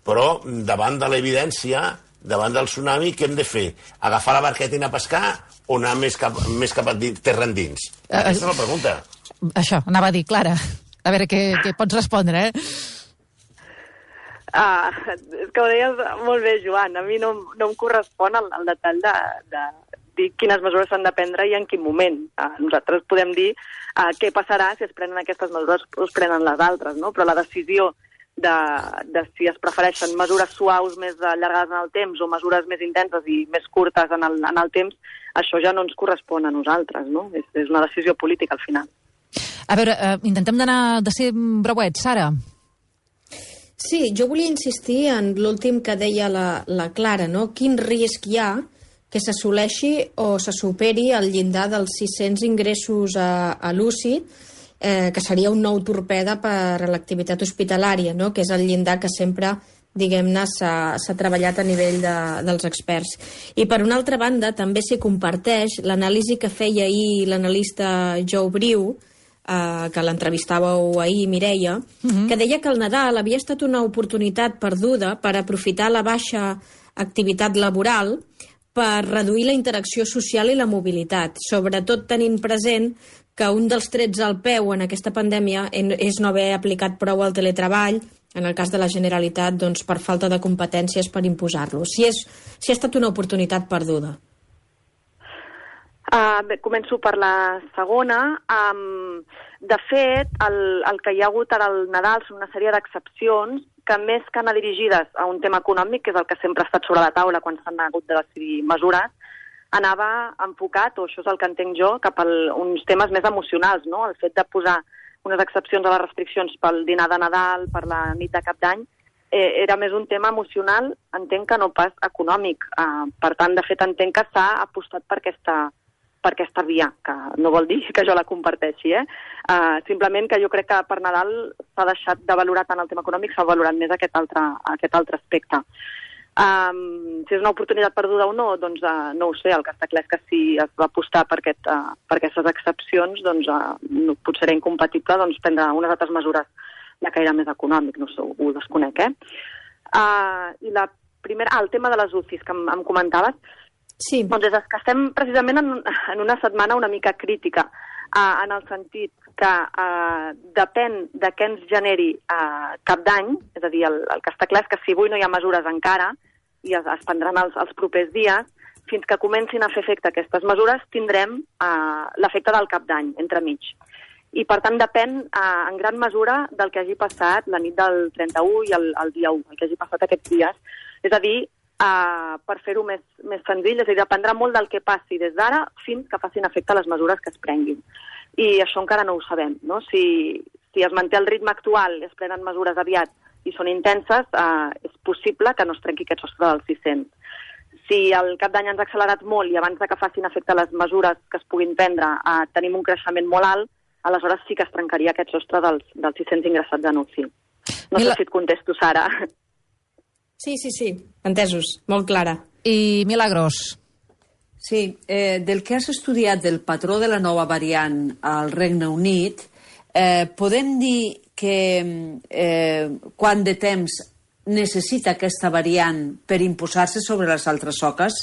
Però davant de l'evidència, davant del tsunami, què hem de fer? Agafar la barqueta i anar a pescar o anar més cap, més cap a dins, terra endins? Uh, Aquesta és la pregunta. Això, anava a dir, Clara. A veure què, què pots respondre, eh? Ah, és que ho deies molt bé, Joan. A mi no, no em correspon el, el detall de, de dir quines mesures s'han de prendre i en quin moment. Ah, nosaltres podem dir ah, què passarà si es prenen aquestes mesures o es prenen les altres, no? Però la decisió de, de si es prefereixen mesures suaus més allargades en el temps o mesures més intenses i més curtes en el, en el temps, això ja no ens correspon a nosaltres, no? És, és una decisió política, al final. A veure, eh, intentem d'anar de ser breuets. Sara? Sí, jo volia insistir en l'últim que deia la, la Clara, no? Quin risc hi ha que s'assoleixi o se superi el llindar dels sis-cents ingressos a, a l'U C I, eh, que seria un nou torpede per a l'activitat hospitalària, no? Que és el llindar que sempre, diguem-ne, s'ha treballat a nivell de, dels experts. I per una altra banda, també s'hi comparteix l'anàlisi que feia ahir l'analista Joe Briu, Uh, que l'entrevistàveu ahir, Mireia, uh-huh. que deia que el Nadal havia estat una oportunitat perduda per aprofitar la baixa activitat laboral per reduir la interacció social i la mobilitat, sobretot tenint present que un dels trets al peu en aquesta pandèmia és no haver aplicat prou el teletreball, en el cas de la Generalitat, doncs, per falta de competències per imposar-lo. Si, és, si ha estat una oportunitat perduda. Uh, bé, començo per la segona. Um, de fet, el, el que hi ha hagut ara al Nadal són una sèrie d'excepcions que més que anar dirigides a un tema econòmic, que és el que sempre ha estat sobre la taula quan s'han hagut de decidir mesures, anava enfocat, o això és el que entenc jo, cap a uns temes més emocionals, no? El fet de posar unes excepcions a les restriccions pel dinar de Nadal, per la nit de Cap d'Any, eh, era més un tema emocional, entenc que no pas econòmic. Eh, per tant, de fet, entenc que s'ha apostat per aquesta, per aquesta via, que no vol dir que jo la comparteixi, eh? Uh, simplement que jo crec que per Nadal s'ha deixat de valorar tant el tema econòmic, s'ha valorat més aquest altre, aquest altre aspecte. Um, si és una oportunitat perduda o no, doncs uh, no ho sé, el que està clar és que si es va apostar per, aquest, uh, per aquestes excepcions, doncs uh, no, potser era incompatible doncs, prendre unes altres mesures de caire més econòmic, no sé, ho desconec, eh? Uh, I la primera, ah, el tema de les U C Is que em, em comentaves, sí. Doncs és que estem precisament en, en una setmana una mica crítica, uh, en el sentit que uh, depèn de què ens generi uh, Cap d'Any, és a dir, el, el que està clar és que si avui no hi ha mesures encara, i es, es prendran els, els propers dies, fins que comencin a fer efecte aquestes mesures, tindrem uh, l'efecte del Cap d'Any, entremig. I, per tant, depèn uh, en gran mesura del que hagi passat la nit del trenta-u i el, el dia u, el que hagi passat aquests dies. És a dir, uh, per fer-ho més, més senzill, és a dir, dependrà molt del que passi des d'ara fins que facin efecte les mesures que es prenguin. I això encara no ho sabem, no? Si, si es manté el ritme actual, es prenen mesures aviat i són intenses, uh, és possible que no es trenqui aquest sostre dels sis-cents. Si el Cap d'Any ens ha accelerat molt i abans de que facin efecte les mesures que es puguin prendre uh, tenim un creixement molt alt, aleshores sí que es trencaria aquest sostre dels, dels sis-cents ingressats en U C I. No Mila... sé si et contesto, Sara. Sí, sí, sí, entesos, molt clara. I Milagros. Sí, eh, del que has estudiat del patró de la nova variant al Regne Unit, eh, podem dir que eh, quant de temps necessita aquesta variant per imposar-se sobre les altres soques?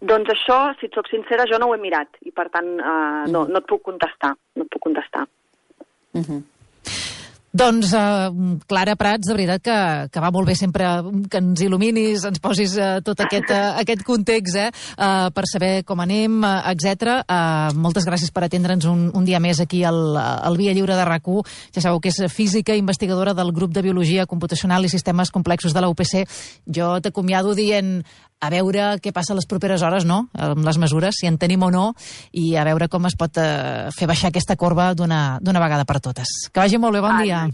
Doncs això, si et soc sincera, jo no ho he mirat i, per tant, eh, no, no et puc contestar. No et puc contestar. Uh-huh. Doncs, eh, Clara Prats, de veritat que, que va molt bé sempre que ens il·luminis, ens posis eh, tot aquest, eh, aquest context eh, eh, per saber com anem, eh, etcètera. Eh, moltes gràcies per atendre'ns un, un dia més aquí al, al Via Lliure de RAC u. Ja sabeu que és física, investigadora del grup de Biologia Computacional i Sistemes Complexos de la U P C. Jo t'acomiado dient a veure què passa les properes hores, no?, amb les mesures, si en tenim o no, i a veure com es pot eh, fer baixar aquesta corba d'una vegada per totes. Que vagi molt bé, bon dia.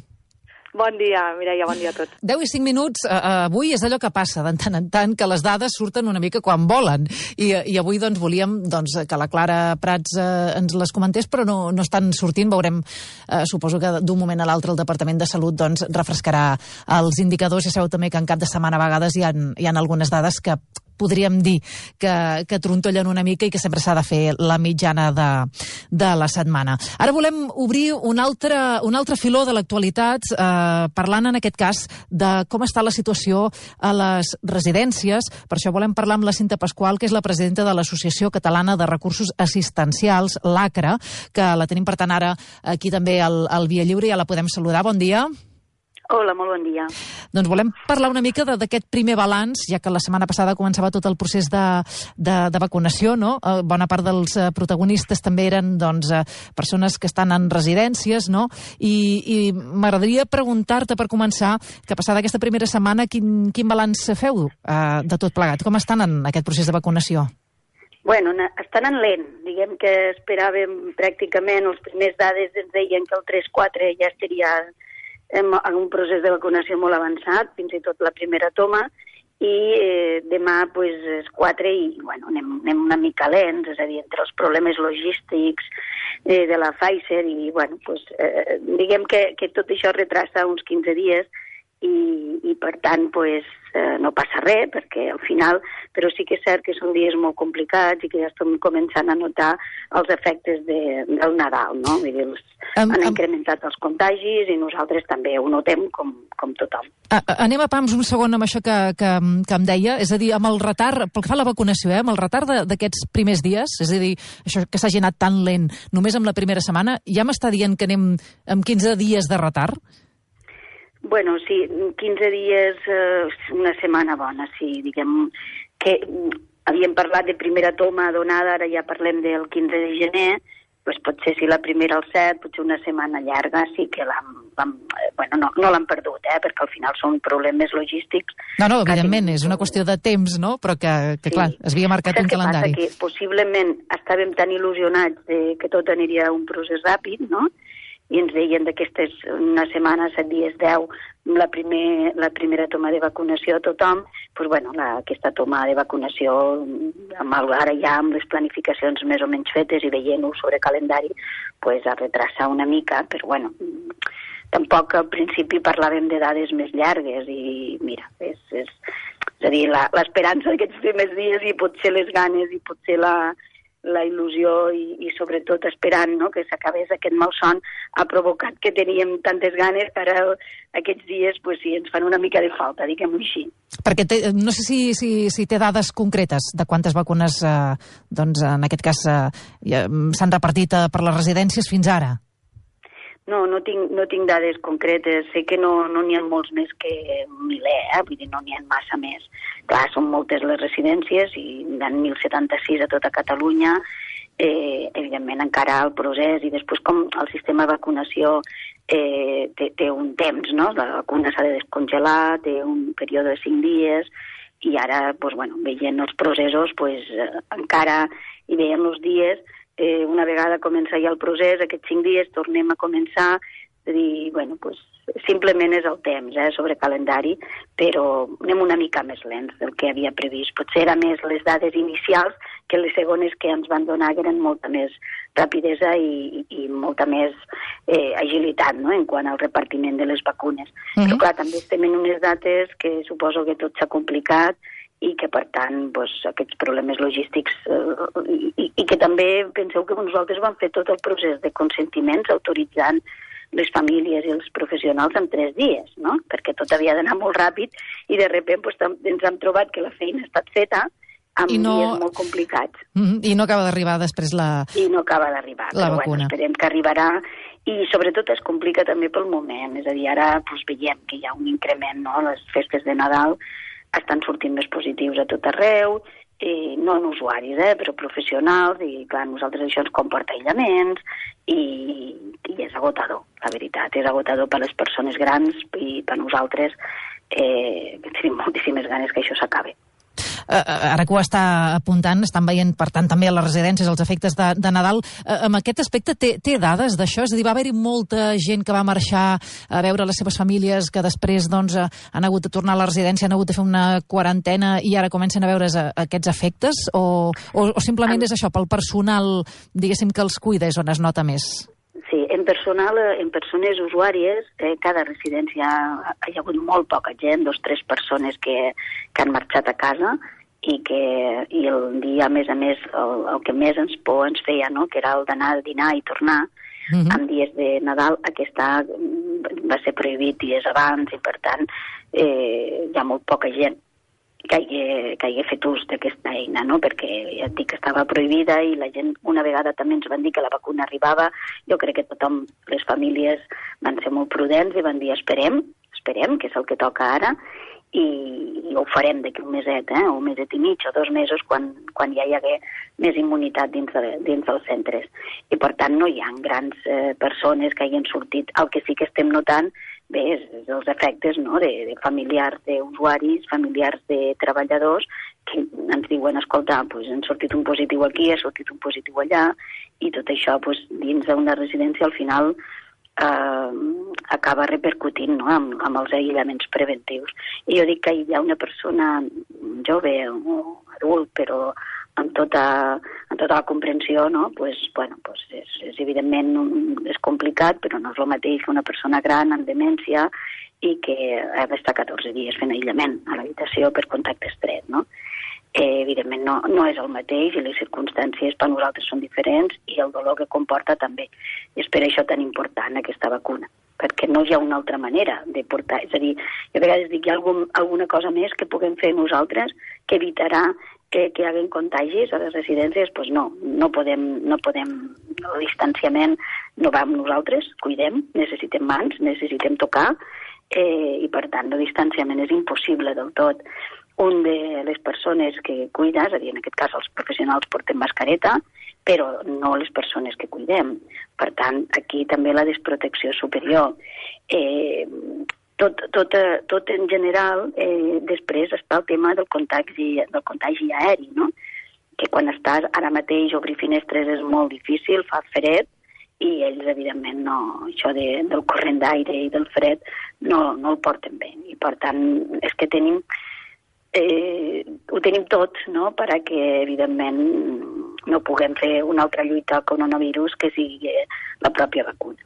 Bon dia, Mireia, bon dia a tots. deu i cinc minuts, eh, avui és allò que passa de tant en tant, que les dades surten una mica quan volen, i, i avui doncs volíem doncs, que la Clara Prats eh, ens les comentés, però no, no estan sortint, veurem, eh, suposo que d'un moment a l'altre el Departament de Salut doncs, refrescarà els indicadors, ja sabeu també que en cap de setmana a vegades hi ha, hi ha algunes dades que podríem dir que, que trontollen una mica i que sempre s'ha de fer la mitjana de, de la setmana. Ara volem obrir un altre, un altre filó de l'actualitat, eh, parlant en aquest cas de com està la situació a les residències. Per això volem parlar amb la Cinta Pasqual, que és la presidenta de l'Associació Catalana de Recursos Assistencials, l'ACRA, que la tenim per tant ara aquí també al, al Via Lliure, ja la podem saludar. Bon dia. Hola, molt bon dia. Doncs volem parlar una mica d'aquest primer balanç, ja que la setmana passada començava tot el procés de, de, de vacunació, no? Eh, bona part dels eh, protagonistes també eren doncs, eh, persones que estan en residències, no? I, i m'agradaria preguntar-te, per començar, que passada aquesta primera setmana, quin, quin balanç feu eh, de tot plegat? Com estan en aquest procés de vacunació? Bueno, estan en lent. Diguem que esperàvem pràcticament, els primers dades ens deien que el tres quatre ja estaria en un procés de vacunació molt avançat, fins i tot la primera toma, i eh, demà pues, és quatre i bueno, anem, anem una mica lents, és a dir, entre els problemes logístics eh, de la Pfizer i bueno, pues, eh, diguem que, que tot això retrasa uns quinze dies i, i per tant pues, eh, no passa res, perquè al final, però sí que és cert que són dies molt complicats i que ja estem començant a notar els efectes de, del Nadal, no? Vull dir, els, um, han um... incrementat els contagis i nosaltres també ho notem com, com tothom. A, anem a pams un segon amb això que, que, que em deia, és a dir, amb el retard, pel que fa a la vacunació, eh, amb el retard d'aquests primers dies, és a dir, això que s'hagi anat tan lent només amb la primera setmana, ja m'està dient que anem amb quinze dies de retard? Bueno, sí, quinze dies, eh, una setmana bona, sí, diguem que havíem parlat de primera toma donada, ara ja parlem del quinze de gener, doncs potser si la primera al set, potser una setmana llarga, sí que l'han, bueno, no, no l'han perdut, eh, perquè al final són problemes logístics. No, no, evidentment, és una qüestió de temps, no?, però que, que sí. Clar, es havia marcat un calendari. Passa que possiblement estàvem tan il·lusionats de que tot aniria a un procés ràpid, no?, i ens deien d'aquestes una setmana, set dies, deu, la, primer, la primera toma de vacunació a tothom, doncs, bueno, la, aquesta toma de vacunació, amb el, ara ja amb les planificacions més o menys fetes i veient-ho sobre calendari, pues, a retrasar una mica, però bueno, tampoc al principi parlàvem de dades més llargues i mira, és, és, és a dir, l'esperança d'aquests primers dies i potser les ganes i potser la, la il·lusió i, i sobretot esperant, no?, que s'acabés aquest malson ha provocat que teníem tantes ganes que ara aquests dies pues, sí, ens fan una mica de falta, diguem-ho així. Perquè té, no sé si, si, si té dades concretes de quantes vacunes eh, doncs, en aquest cas eh, s'han repartit eh, per les residències fins ara. No, no tinc, no tinc dades concretes. Sé que no no n'hi ha molts més que un miler, eh? Vull dir, no n'hi ha massa més. Clar, són moltes les residències i hi ha mil setanta-sis a tota Catalunya. Eh, evidentment, encara el procés i després com el sistema de vacunació eh, té, té un temps, no? La vacuna s'ha de descongelar, té un període de cinc dies i ara, doncs, bueno, veient els processos, pues, eh, encara hi veiem els dies. Eh, una vegada comença ja el procés, aquests cinc dies tornem a començar, és a dir, bueno, pues, simplement és el temps, eh, sobre calendari, però anem una mica més lents del que havia previst. Potser era més les dades inicials que les segones que ens van donar, que eren molta més rapidesa i, i molta més eh, agilitat, no?, en quant al repartiment de les vacunes. Mm-hmm. Però clar, també estem en unes dates que suposo que tot s'ha complicat i que, per tant, doncs, aquests problemes logístics eh, i, i que també penseu que nosaltres vam fer tot el procés de consentiments autoritzant les famílies i els professionals en tres dies, no?, perquè tot havia d'anar molt ràpid i de sobte doncs, ens hem trobat que la feina ha estat feta amb no... dies molt complicats. Mm-hmm. I no acaba d'arribar després la I no acaba d'arribar, la però vacuna. Bueno, esperem que arribarà i sobretot es complica també pel moment, és a dir, ara doncs, veiem que hi ha un increment, no?, les festes de Nadal estan sortint més positius a tot arreu, eh, no en usuaris, eh, però professionals, i clar, nosaltres això ens comporta aïllaments, i, i és agotador, la veritat, és agotador per les persones grans i per nosaltres eh, tenim moltíssimes ganes que això s'acabi. Uh, ara que ho està apuntant, estan veient, per tant, també a les residències els efectes de, de Nadal. Uh, amb aquest aspecte, té, té dades d'això? És a dir, va haver-hi molta gent que va marxar a veure les seves famílies, que després doncs, han hagut de tornar a la residència, han hagut de fer una quarantena i ara comencen a veure aquests efectes? O, o, o simplement és això, pel personal, diguéssim, que els cuida és on es nota més? Sí, en personal, en persones usuàries, eh, cada residència hi ha hagut molt poca gent, dos o tres persones que, que han marxat a casa i que i el dia, a més a més, el, el que més ens por ens feia, no?, que era el d'anar a dinar i tornar, mm-hmm. en dies de Nadal, aquesta va ser prohibit dies abans i, per tant, eh, hi ha molt poca gent que hagi, que hagi fet ús d'aquesta eina, no?, perquè ja et dic que estava prohibida i la gent una vegada també ens van dir que la vacuna arribava. Jo crec que tothom, les famílies van ser molt prudents i van dir esperem, esperem, que és el que toca ara, i, i ho farem d'aquí un meset, eh, un meset i mig o dos mesos quan, quan ja hi hagué més immunitat dins, de, dins dels centres. I per tant no hi ha grans eh, persones que hagin sortit. El que sí que estem notant bé, és, és els efectes, no?, de, de familiars d'usuaris, familiars de treballadors, que ens diuen, escolta, pues, han sortit un positiu aquí, ha sortit un positiu allà, i tot això pues, dins d'una residència al final eh, acaba repercutint, no?, amb, amb els aïllaments preventius. I jo dic que hi ha una persona jove o adult, però amb tota, amb tota la comprensió, no?, pues, bueno, pues és, és evidentment és complicat, però no és el mateix que una persona gran amb demència i que ha d'estar catorze dies fent aïllament a l'habitació per contacte estret, no? Eh, evidentment no, no és el mateix i les circumstàncies per nosaltres són diferents i el dolor que comporta també. I és per això tan important aquesta vacuna, perquè no hi ha una altra manera de portar. És a dir, jo a vegades dic, hi ha algun, alguna cosa més que puguem fer nosaltres que evitarà que, que hi hagi contagis a les residències? Doncs pues no, no podem, no podem, el distanciament no va amb nosaltres, cuidem, necessitem mans, necessitem tocar, eh, i per tant el distanciament és impossible del tot. Un de les persones que cuida, és a dir, en aquest cas els professionals porten mascareta, però no les persones que cuidem. Per tant, aquí també la desprotecció superior. Eh, tot, tot, tot en general, eh, després està el tema del contagi, del contagi aeri, no?, que quan estàs ara mateix obrir finestres és molt difícil, fa fred, i ells, evidentment, no, això de, del corrent d'aire i del fred no, no el porten bé. I, per tant, és que tenim, eh, ho tenim tot, no?, perquè, evidentment, no puguem fer una altra lluita al coronavirus que sigui la pròpia vacuna.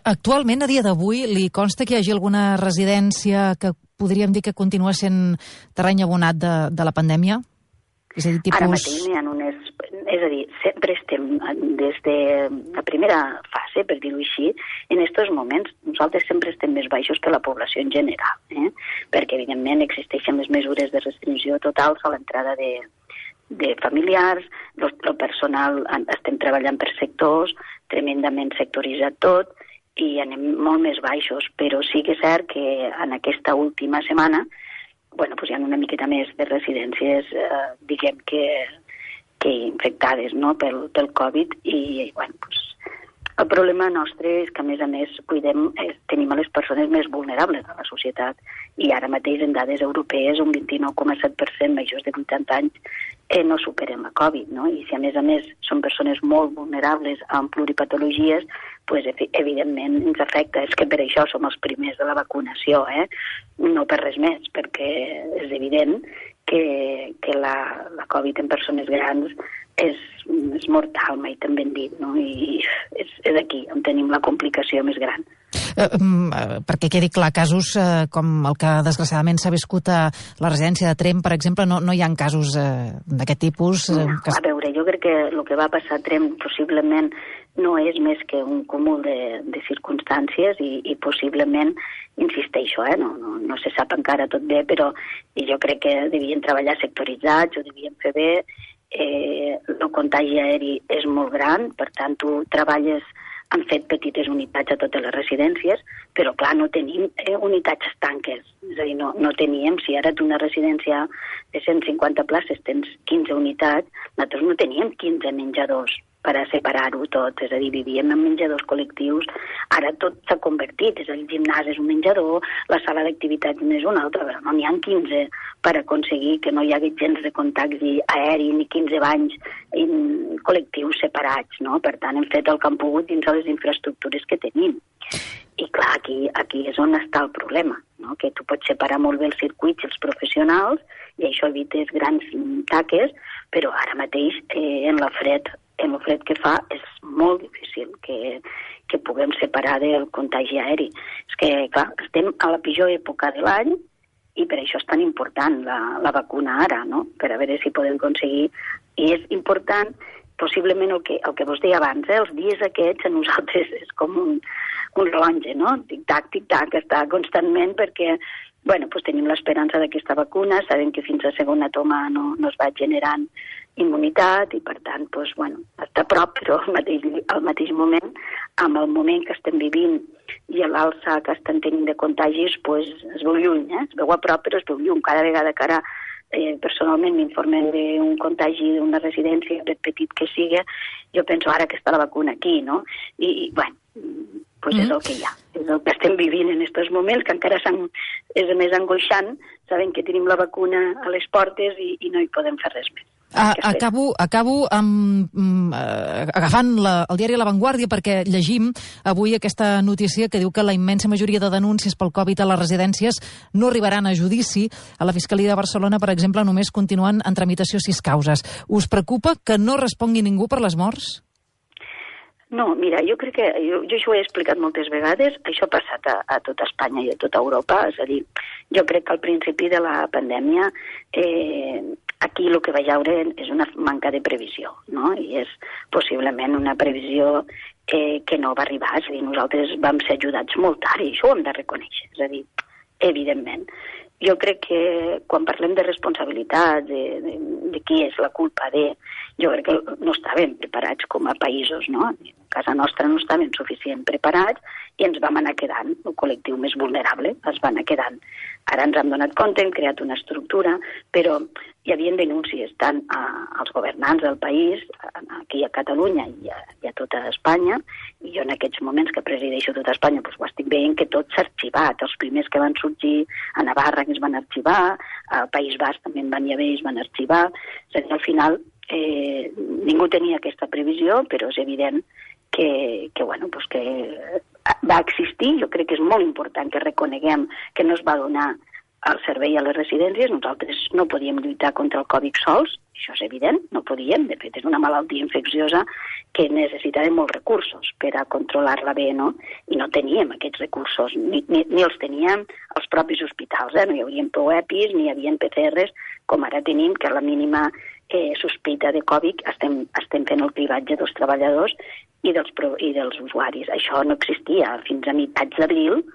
Actualment, a dia d'avui, li consta que hi hagi alguna residència que podríem dir que continua sent terreny abonat de, de la pandèmia? És a dir, tipus... Ara mateix n'hi ha unes... És a dir, sempre estem, des de la primera fase, per dir-ho així, en aquests moments nosaltres sempre estem més baixos que la població en general, eh? Perquè, evidentment, existeixen les mesures de restricció totals a l'entrada de, de familiars, el personal, estem treballant per sectors, tremendament sectoritzat tot, i anem molt més baixos, però sí que és cert que en aquesta última setmana bueno, pues hi ha una miqueta més de residències, eh, diguem que, que infectades, no?, pel, pel Covid, i bueno, pues, el problema nostre és que, a més a més, cuidem, eh, tenim a les persones més vulnerables de la societat, i ara mateix en dades europees un vint-i-nou coma set per cent majors de vuitanta anys eh, no superen la Covid, no? I si a més a més són persones molt vulnerables amb pluripatologies, pues, evidentment ens afecta. És que per això som els primers de la vacunació, eh? No per res més, perquè és evident que, que la, la Covid en persones grans és, és mortal, mai tan ben dit, no? I és, és aquí on tenim la complicació més gran. Eh, perquè quedi clar, casos eh, com el que desgraciadament s'ha viscut a la residència de Tremp, per exemple, no, no hi ha casos eh, d'aquest tipus? Eh, no, que... A veure, jo crec que el que va passar a Tremp possiblement no és més que un cúmul de, de circumstàncies i, i possiblement, insisteixo, eh, no, no, no se sap encara tot bé, però jo crec que devien treballar sectoritzats, ho devien fer bé, eh, el contagi aeri és molt gran, per tant, tu treballes, han fet petites unitats a totes les residències, però clar, no tenim eh, unitats estanques, és a dir, no, no teníem, si ara tu una residència de cent cinquanta places tens quinze unitats, nosaltres no teníem quinze menjadors per a separar-ho tot, és a dir, vivíem en menjadors col·lectius, ara tot s'ha convertit, és a dir, el gimnàs és un menjador, la sala d'activitats n'és una altra, però no n'hi ha quinze per aconseguir que no hi hagi gens de contagi aeri ni quinze banys en col·lectius separats, no? Per tant, hem fet el que hem pogut dins de les infraestructures que tenim. I clar, aquí, aquí és on està el problema, no? Que tu pots separar molt bé els circuits i els professionals i això evites grans taques, però ara mateix eh, en la fred en el fred que fa és molt difícil que, que puguem separar del contagi aeri. És que, clar, estem a la pitjor època de l'any i per això és tan important la, la vacuna ara, no?, per a veure si podem aconseguir. I és important, possiblement el que, el que vos deia abans, eh? Els dies aquests a nosaltres és com un, un rellotge, no?, tic-tac, tic-tac, està constantment perquè, bueno, pues tenim l'esperança d'aquesta vacuna, sabem que fins a segona toma no, no es va generant immunitat i, per tant, pues, bueno, està a prop, però al mateix, al mateix moment, amb el moment que estem vivint i l'alça que estan tenint de contagis, pues, es veu lluny, eh? Es veu a prop, però es veu lluny. Cada vegada que ara, eh, personalment, m'informen d'un contagi d'una residència, per petit que sigui, jo penso ara que està la vacuna aquí, no? I, i bueno, pues mm. és el que hi ha. És el que estem vivint en aquests moments, que encara és més angoixant, sabent que tenim la vacuna a les portes i, i no hi podem fer res més. A, acabo acabo amb, um, uh, agafant la, el diari La Vanguardia perquè llegim avui aquesta notícia que diu que la immensa majoria de denúncies pel Covid a les residències no arribaran a judici. A la Fiscalia de Barcelona, per exemple, només continuen en tramitació sis causes. Us preocupa que no respongui ningú per les morts? No, mira, jo crec que, jo, jo això ho he explicat moltes vegades, això ha passat a, a tota Espanya i a tota Europa, és a dir, jo crec que al principi de la pandèmia eh, aquí el que va haure és una manca de previsió, no? I és possiblement una previsió eh, que no va arribar, és a dir, nosaltres vam ser ajudats molt tard i això ho hem de reconèixer, és a dir, evidentment. Jo crec que quan parlem de responsabilitat, de, de, de qui és la culpa de... Jo crec que no estàvem preparats com a països, no? A casa nostra no estàvem suficient preparats i ens vam anar quedant, el col·lectiu més vulnerable, es va anar quedant. Ara ens hem donat compte, hem creat una estructura, però hi havia denúncies tant a, als governants del país, aquí a Catalunya i a, i a tota Espanya, i jo en aquests moments que presideixo tota Espanya doncs ho estic veient que tot s'ha arxivat. Els primers que van sorgir a Navarra que es van arxivar, al País Basc també en van haver i es van arxivar. És a dir, al final eh, ningú tenia aquesta previsió, però és evident que, que, bueno, pues que va existir. Jo crec que és molt important que reconeguem que no es va donar el servei a les residències. Nosaltres no podíem lluitar contra el Covid sols, això és evident, no podíem. De fet, és una malaltia infecciosa que necessitava molts recursos per a controlar-la bé, no? I no teníem aquests recursos, ni, ni, ni els teníem els propis hospitals, eh? No hi haurien prou EPIs, ni hi havia P C Rs, com ara tenim, que a la mínima eh, sospita de Covid estem, estem fent el cribatge dels treballadors i dels, i dels usuaris. Això no existia. Fins a meitats d'abril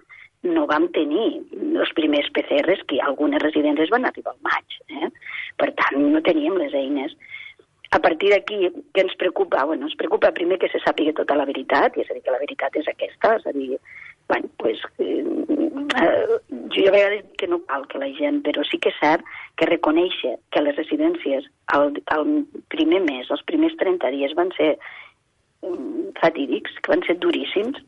no vam tenir els primers P C Rs, que algunes residències van arribar al maig. Eh? Per tant, no teníem les eines. A partir d'aquí, què ens preocupa? Bueno, ens preocupa primer que se sàpiga tota la veritat, i és a dir, que la veritat és aquesta, és a dir, bueno, pues, eh, jo a vegades dic que no cal que la gent, però sí que és cert que reconèixer que les residències al, al primer mes, els primers trenta dies van ser um, fatídics, que van ser duríssims,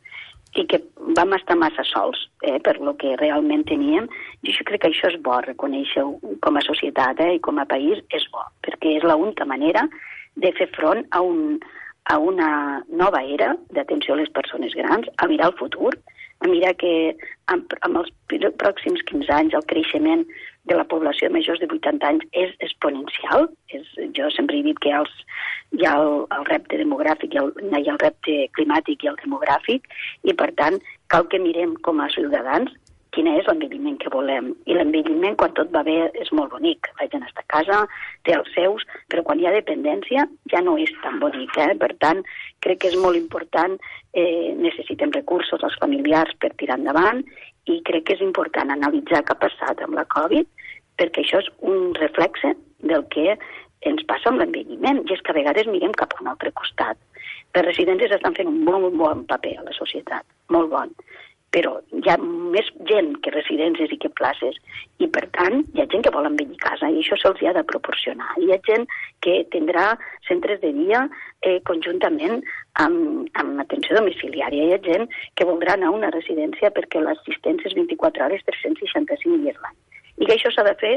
i que vam estar massa sols eh, per lo que realment teníem. I jo crec que això és bo, reconèixer com a societat eh, i com a país és bo, perquè és l'única manera de fer front a, un, a una nova era d'atenció a les persones grans, a mirar el futur, a mirar que amb, amb els pròxims quinze anys el creixement de la població de majors de vuitanta anys és exponencial. És, jo sempre he dit que els, hi ha el, el repte demogràfic, hi ha el, hi ha el repte climàtic i el demogràfic, i per tant cal que mirem com a ciutadans quin és l'envelliment que volem. I l'envelliment, quan tot va bé, és molt bonic. La gent està a casa, té els seus, però quan hi ha dependència ja no és tan bonic. Eh? Per tant, crec que és molt important, eh, necessitem recursos als familiars per tirar endavant, i crec que és important analitzar què ha passat amb la Covid, perquè això és un reflexe del que ens passa amb l'envelliment, i és que a vegades mirem cap a un altre costat. Les residències estan fent un molt bon paper a la societat, molt bon, però hi ha més gent que residències i que places, i per tant hi ha gent que vol envellir a casa, i això se'ls ha de proporcionar. Hi ha gent que tindrà centres de dia eh, conjuntament amb, amb atenció domiciliària. Hi ha gent que voldrà anar a una residència perquè l'assistència és vint-i-quatre hores, tres-cents seixanta-cinc dies l'any. I que això s'ha de fer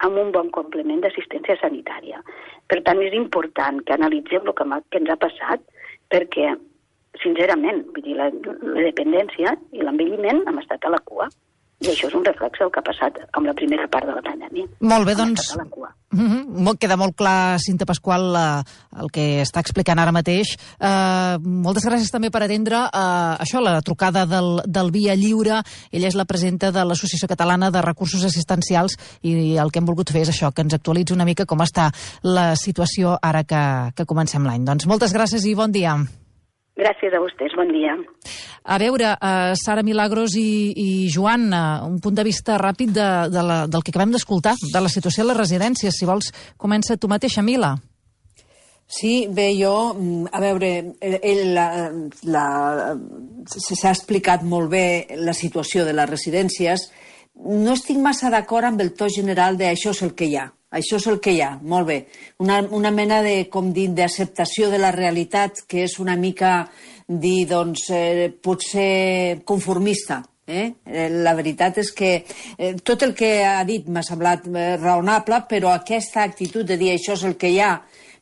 amb un bon complement d'assistència sanitària. Per tant, és important que analitzem el que, que ens ha passat, perquè, sincerament, vull dir, la, la dependència i l'envelliment hem estat a la cua. I això és un reflex del que ha passat amb la primera part de la pandèmia. Molt bé, doncs, mm-hmm. queda molt clar, Cinta Pasqual, uh, el que està explicant ara mateix. Uh, moltes gràcies també per atendre uh, això, la trucada del, del Via Lliure. Ella és la presidenta de l'Associació Catalana de Recursos Assistencials, i el que hem volgut fer és això, que ens actualitzi una mica com està la situació ara que, que comencem l'any. Doncs moltes gràcies i bon dia. Gràcies a vostès, bon dia. A veure, uh, Sara Milagros i, i Joan, uh, un punt de vista ràpid de, de la, del que acabem d'escoltar, de la situació a les residències. Si vols, comença tu mateixa, Mila. Sí, bé, jo, a veure, ell, la, la, s'ha explicat molt bé la situació de les residències. No estic massa d'acord amb el to general de això és el que hi ha. Això és el que hi ha, molt bé. Una, una mena de, com dir, d'acceptació de la realitat que és una mica, dir, doncs, eh, potser conformista. Eh? La veritat és que eh, tot el que ha dit m'ha semblat eh, raonable, però aquesta actitud de dir això és el que hi ha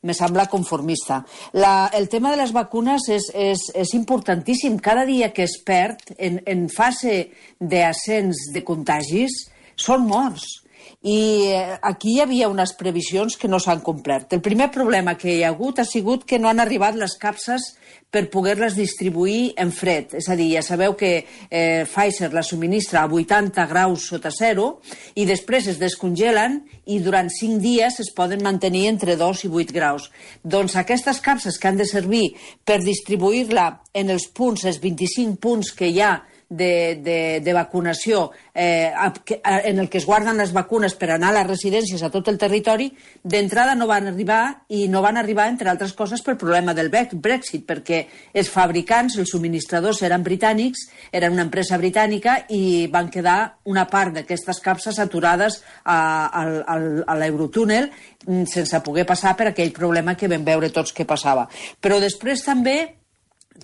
me sembla conformista. La, el tema de les vacunes és, és, és importantíssim. Cada dia que es perd en, en fase d'ascens de contagis són morts. I aquí hi havia unes previsions que no s'han complert. El primer problema que hi ha hagut ha sigut que no han arribat les capses per poder-les distribuir en fred. És a dir, ja sabeu que eh, Pfizer la subministra a vuitanta graus sota zero i després es descongelen i durant cinc dies es poden mantenir entre dos i vuit graus. Doncs aquestes capses que han de servir per distribuir-la en els punts, els vint-i-cinc punts que hi ha De, de, de vacunació eh, en el que es guarden les vacunes per anar a les residències a tot el territori, d'entrada no van arribar, i no van arribar, entre altres coses, pel problema del Brexit, perquè els fabricants, els subministradors eren britànics, eren una empresa britànica, i van quedar una part d'aquestes capses aturades a, a, a, a l'Eurotúnel sense poder passar per aquell problema que vam veure tots que passava. Però després també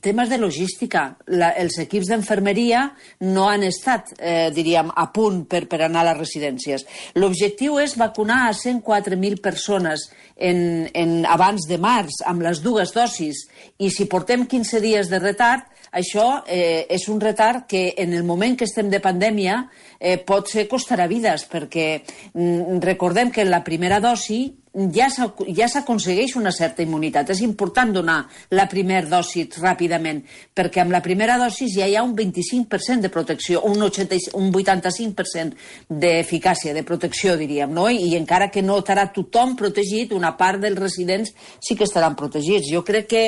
temes de logística. La, els equips d'enfermeria no han estat, eh, diríem, a punt per, per anar a les residències. L'objectiu és vacunar a cent quatre mil persones en, en abans de març amb les dues dosis, i si portem quinze dies de retard, això eh, és un retard que en el moment que estem de pandèmia eh, pot ser costarà vides, perquè mm, recordem que en la primera dosi ja s'aconsegueix una certa immunitat. És important donar la primera dosi ràpidament, perquè amb la primera dosi ja hi ha un vint-i-cinc per cent de protecció, un, un vuitanta-cinc per cent d'eficàcia, de protecció, diríem, no? I encara que no estarà tothom protegit, una part dels residents sí que estaran protegits. Jo crec que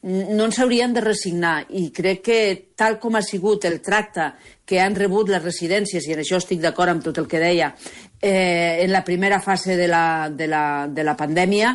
no ens hauríem de resignar, i crec que tal com ha sigut el tracte que han rebut les residències, i en això estic d'acord amb tot el que deia, eh, en la primera fase de la, de la, de la pandèmia,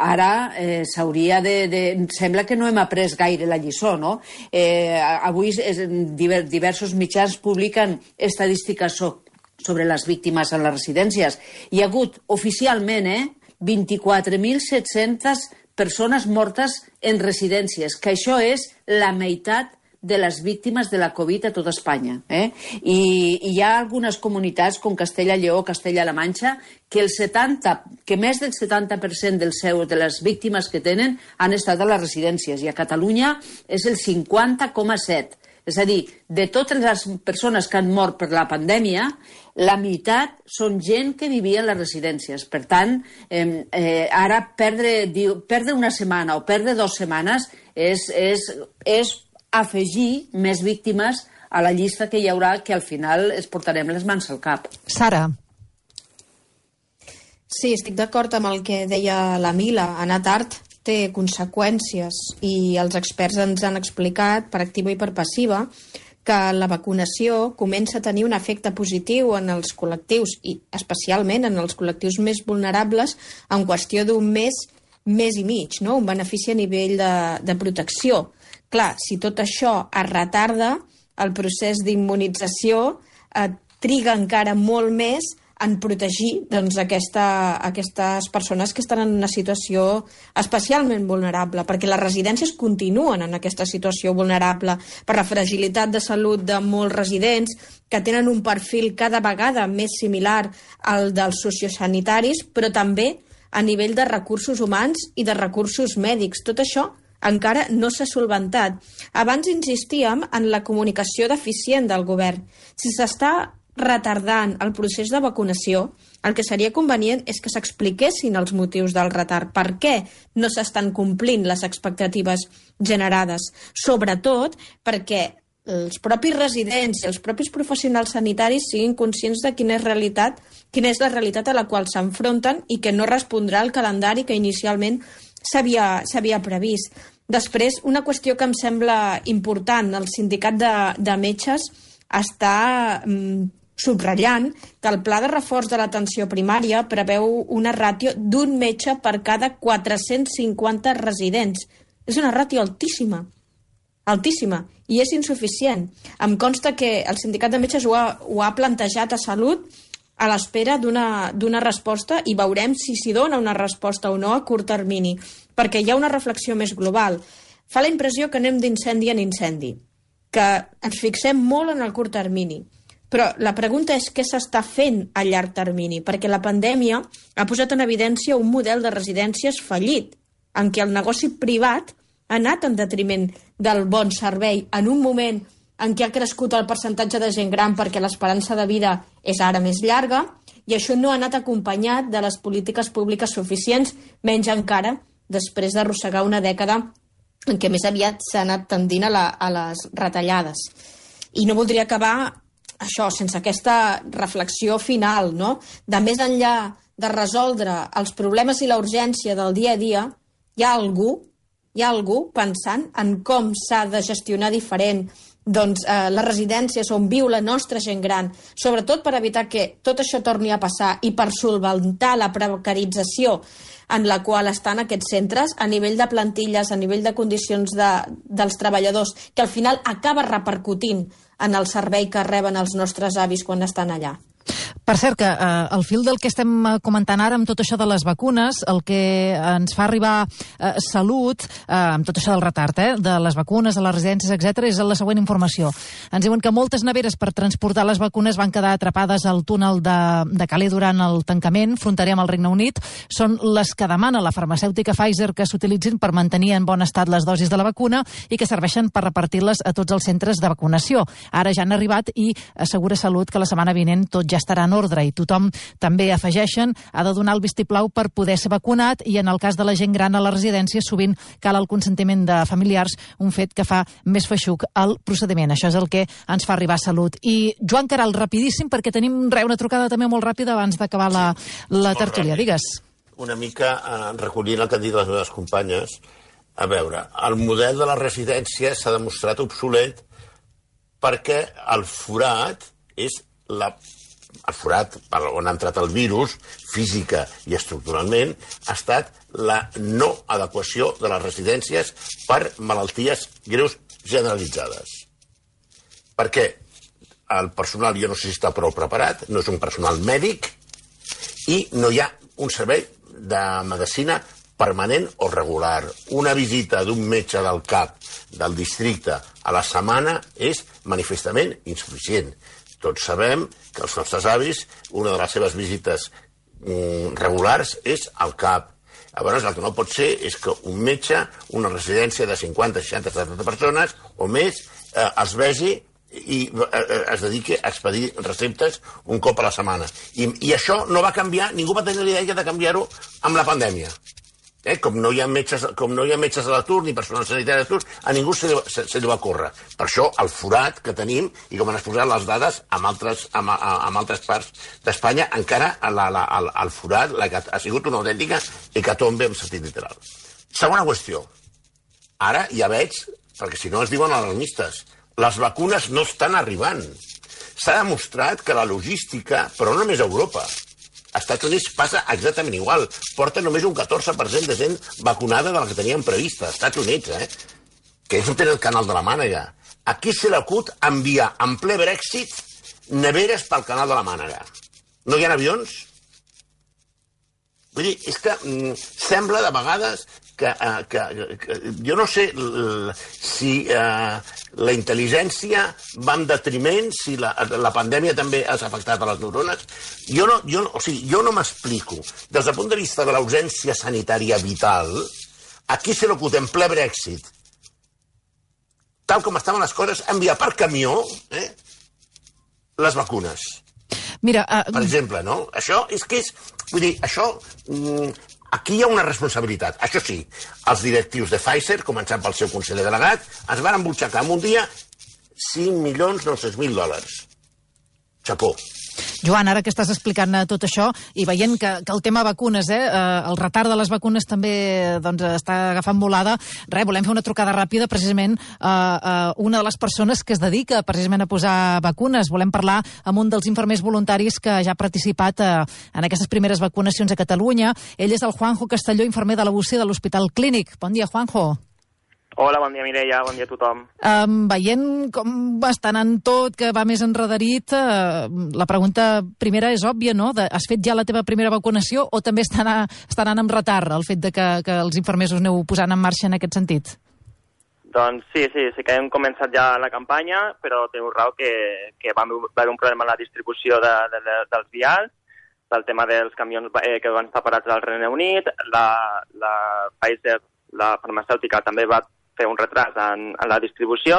ara eh, s'hauria de, de... Sembla que no hem après gaire la lliçó, no? Eh, avui es, diversos mitjans publiquen estadístiques so, sobre les víctimes en les residències. Hi ha hagut oficialment eh, vint-i-quatre mil set-centes persones mortes en residències, que això és la meitat de les víctimes de la Covid a tota Espanya. Eh? I, I hi ha algunes comunitats, com Castella-Lleó, Castella-La Manxa, que, el setanta, que més del setanta per cent del seu, de les víctimes que tenen han estat a les residències, i a Catalunya és el cinquanta coma set. És a dir, de totes les persones que han mort per la pandèmia, la meitat són gent que vivia en les residències. Per tant, eh, eh, ara perdre, diu, perdre una setmana o perdre dues setmanes és, és, és afegir més víctimes a la llista que hi haurà, que al final es portarem les mans al cap. Sara. Sí, estic d'acord amb el que deia la Mila. Anar tard té conseqüències, i els experts ens han explicat, per activa i per passiva, que la vacunació comença a tenir un efecte positiu en els col·lectius, i especialment en els col·lectius més vulnerables, en qüestió d'un mes, mes i mig, no? Un benefici a nivell de, de protecció. Clar, si tot això es retarda, el procés d'immunització eh, triga encara molt més en protegir doncs, aquesta, aquestes persones que estan en una situació especialment vulnerable, perquè les residències continuen en aquesta situació vulnerable per la fragilitat de salut de molts residents que tenen un perfil cada vegada més similar al dels sociosanitaris, però també a nivell de recursos humans i de recursos mèdics. Tot això encara no s'ha solventat. Abans insistíem en la comunicació deficient del govern. Si s'està retardant el procés de vacunació, el que seria convenient és que s'expliquessin els motius del retard. Per què no s'estan complint les expectatives generades? Sobretot perquè els propis residents i els propis professionals sanitaris siguin conscients de quina és, realitat, quina és la realitat a la qual s'enfronten i que no respondrà al calendari que inicialment s'havia previst. Després, una qüestió que em sembla important, el sindicat de, de metges està mm, subratllant que el pla de reforç de l'atenció primària preveu una ràtio d'un metge per cada quatre-cents cinquanta residents. És una ràtio altíssima, altíssima, i és insuficient. Em consta que el sindicat de metges ho ha, ho ha plantejat a Salut a l'espera d'una resposta, i veurem si s'hi dona una resposta o no a curt termini, perquè hi ha una reflexió més global. Fa la impressió que anem d'incendi en incendi, que ens fixem molt en el curt termini, però la pregunta és què s'està fent a llarg termini, perquè la pandèmia ha posat en evidència un model de residències fallit, en què el negoci privat ha anat en detriment del bon servei en un moment en què ha crescut el percentatge de gent gran perquè l'esperança de vida és ara més llarga, i això no ha anat acompanyat de les polítiques públiques suficients, menys encara després d'arrossegar una dècada en què més aviat s'ha anat tendint a, la, a les retallades. I no voldria acabar això sense aquesta reflexió final, no? De més enllà de resoldre els problemes i la urgència del dia a dia, hi ha algú, hi ha algú pensant en com s'ha de gestionar diferent doncs, eh, les residències on viu la nostra gent gran, sobretot per evitar que tot això torni a passar i per solventar la precarització en la qual estan aquests centres a nivell de plantilles, a nivell de condicions de, dels treballadors, que al final acaba repercutint en el servei que reben els nostres avis quan estan allà. Per cert, que eh, al fil del que estem comentant ara amb tot això de les vacunes, el que ens fa arribar eh, Salut, eh, amb tot això del retard, eh, de les vacunes, de les residències, etcètera, és la següent informació. Ens diuen que moltes neveres per transportar les vacunes van quedar atrapades al túnel de, de Calais durant el tancament fronterer amb el Regne Unit. Són les que demana la farmacèutica Pfizer que s'utilitzin per mantenir en bon estat les dosis de la vacuna i que serveixen per repartir-les a tots els centres de vacunació. Ara ja han arribat i assegura Salut que la setmana vinent tot ja estarà en ordre i tothom, també afegeixen, ha de donar el vistiplau per poder ser vacunat i en el cas de la gent gran a la residència sovint cal el consentiment de familiars, un fet que fa més feixuc el procediment. Això és el que ens fa arribar Salut. I Joan Caral, rapidíssim, perquè tenim re, una trucada també molt ràpida abans d'acabar la, la tertúlia. Digues. Una mica eh, recollint el que han dit les meves companyes. A veure, el model de la residència s'ha demostrat obsolet perquè el forat és la el forat on ha entrat el virus, física i estructuralment, ha estat la no adequació de les residències per malalties greus generalitzades. Perquè el personal, jo no sé si està prou preparat, no és un personal mèdic i no hi ha un servei de medicina permanent o regular. Una visita d'un metge del cap del districte a la setmana és manifestament insuficient. Tots sabem que els nostres avis, una de les seves visites mm, regulars és al cap. Llavors, el que no pot ser és que un metge, una residència de cinquanta, seixanta, setanta persones o més, eh, els vegi i eh, es dediqui a expedir receptes un cop a la setmana. I, i això no va canviar, ningú va tenir l'idea de canviar-ho amb la pandèmia. Eh, com no hi ha metges, com no hi ha metges a l'atur ni personal sanitari a l'atur, a ningú se li, se, se li va córrer. Per això el forat que tenim, i com han exposat les dades amb altres, amb, amb altres parts d'Espanya, encara la, la, el, el forat la, ha sigut una autèntica hecatombe en sentit literal. Segona qüestió. Ara ja veig, perquè si no es diuen alarmistes, les vacunes no estan arribant. S'ha demostrat que la logística, però no només a Europa, als Estats Units passa exactament igual. Porta només un catorze per cent de gent vacunada de la que tenien prevista. Als Estats Units, eh? Que ells no tenen el canal de la Mànega. Aquí se l'acut enviar en ple Brexit neveres pel canal de la Mànega. No hi ha avions? Vull dir, és que mm, sembla de vegades que, uh, que, que jo no sé l, si uh, la intel·ligència va en detriment, si la, la pandèmia també ha afectat a les neurones. Jo no, jo, o sigui, jo no m'explico. Des del punt de vista de l'ausència sanitària vital, aquí se l'ocut en ple Brexit, tal com estaven les coses, enviar per camió eh, les vacunes. Mira, uh... per exemple, no? Això és que és... Vull dir, això... Mm, aquí hi ha una responsabilitat. Això sí, els directius de Pfizer, començant pel seu conseller delegat, es van embutxacar en un dia cinc milions nou-cents mil dòlars. Chapó. Joan, ara que estàs explicant tot això i veient que, que el tema vacunes, eh, el retard de les vacunes també doncs, està agafant volada, res, volem fer una trucada ràpida precisament a, a una de les persones que es dedica precisament a posar vacunes. Volem parlar amb un dels infermers voluntaris que ja ha participat a, en aquestes primeres vacunacions a Catalunya. Ell és el Juanjo Castelló, infermer de la U C I de l'Hospital Clínic. Bon dia, Juanjo. Hola, bon dia, Mireia, bon dia a tothom. Um, veient com està anant tot, que va més enredarit, uh, la pregunta primera és òbvia, no? De, has fet ja la teva primera vacunació o també està anant, està anant amb retard el fet de que, que els infermers us aneu posant en marxa en aquest sentit? Doncs sí, sí, sí que hem començat ja la campanya, però teniu raó que, que va haver un problema en la distribució de, de, de, dels vials, pel tema dels camions eh, que van estar parats al Regne Unit, la, la Pfizer, la farmacèutica, també va fer un retras en, en la distribució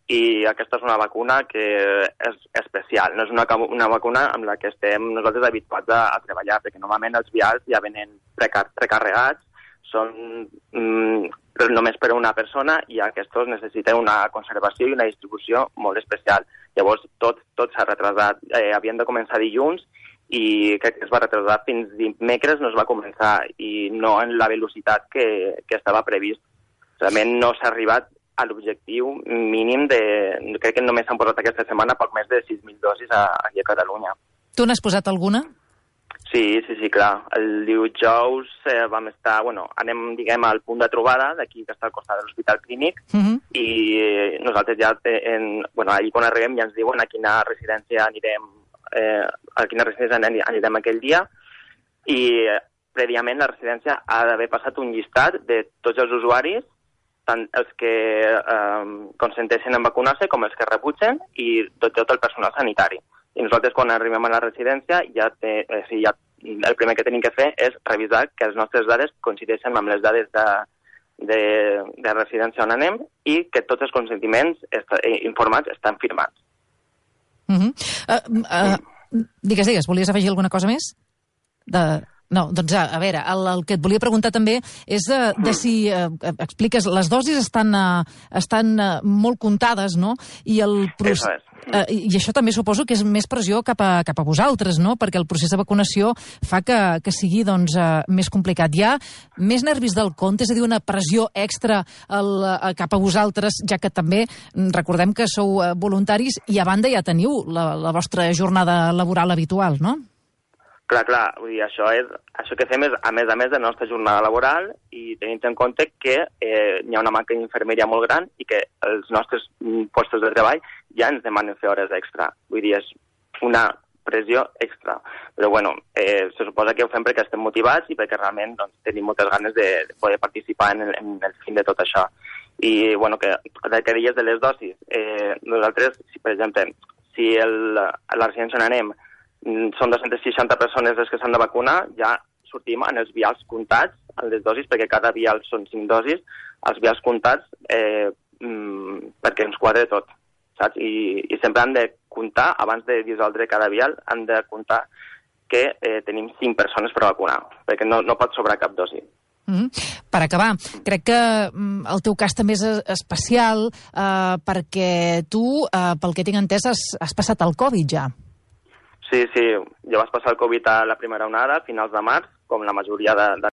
i aquesta és una vacuna que és especial. No és una, una vacuna amb la que estem nosaltres habituats a, a treballar, perquè normalment els vials ja venen precar, precarregats, són mm, només per a una persona i aquests necessiten una conservació i una distribució molt especial. Llavors tot, tot s'ha retrasat. Eh, havien de començar dilluns i crec que es va retrasar fins dimecres, no es va començar i no en la velocitat que, que estava previst. Realment no s'ha arribat a l'objectiu mínim de... Crec que només s'han posat aquesta setmana poc més de sis mil dosis a, aquí a Catalunya. Tu n'has posat alguna? Sí, sí, sí, clar. El dijous eh, vam estar... Bueno, anem, diguem, al punt de trobada, d'aquí que està al costat de l'Hospital Clínic, uh -huh. i nosaltres ja, en, bueno, allí quan arribem ja ens diuen a quina residència anirem eh, a quina residència anirem aquell dia, i eh, prèviament la residència ha d'haver passat un llistat de tots els usuaris, tant els que eh, consenteixen en vacunar-se com els que rebutgen, i tot, tot el personal sanitari. I nosaltres, quan arribem a la residència, ja té, eh, sí, ja, el primer que tenim que fer és revisar que les nostres dades coincideixen amb les dades de, de, de residència on anem i que tots els consentiments est informats estan firmats. Uh -huh. uh, uh, digues, digues, volies afegir alguna cosa més? De... No, doncs a, a veure, el, el que et volia preguntar també és de, de si, eh, expliques, les dosis estan, eh, estan eh, molt comptades, no? I, el proce... eh, I això també suposo que és més pressió cap a, cap a vosaltres, no? Perquè el procés de vacunació fa que, que sigui doncs, eh, més complicat. Hi ha més nervis del compte, és a dir, una pressió extra el, eh, cap a vosaltres, ja que també recordem que sou eh, voluntaris i a banda ja teniu la, la vostra jornada laboral habitual, no? Clar, clar, vull dir, això, és, això que fem és a més a més de la nostra jornada laboral i tenint en compte que eh, hi ha una manca d'infermeria molt gran i que els nostres postos de treball ja ens demanen fer hores extra. Vull dir, és una pressió extra. Però, bueno, eh, se suposa que ho fem perquè estem motivats i perquè realment doncs, tenim moltes ganes de, de poder participar en el, en el fin de tot això. I, bueno, que, que deies de les dosis, eh, nosaltres, si, per exemple, si el, a la residència on anem són dos-centes seixanta persones les que s'han de vacunar, ja sortim en els vials comptats, en les dosis, perquè cada vial són cinc dosis, els vials comptats eh, mmm, perquè ens quadre tot, saps? I, i sempre han de comptar, abans de dissoldre cada vial, han de comptar que eh, tenim cinc persones per vacunar, perquè no, no pot sobrar cap dosi. Mm-hmm. Per acabar, crec que mm, el teu cas també és especial eh, perquè tu, eh, pel que tinc entès, has, has passat el Covid ja. Sí, sí, jo vaig passar el Covid a la primera onada, a finals de març, com la majoria de, de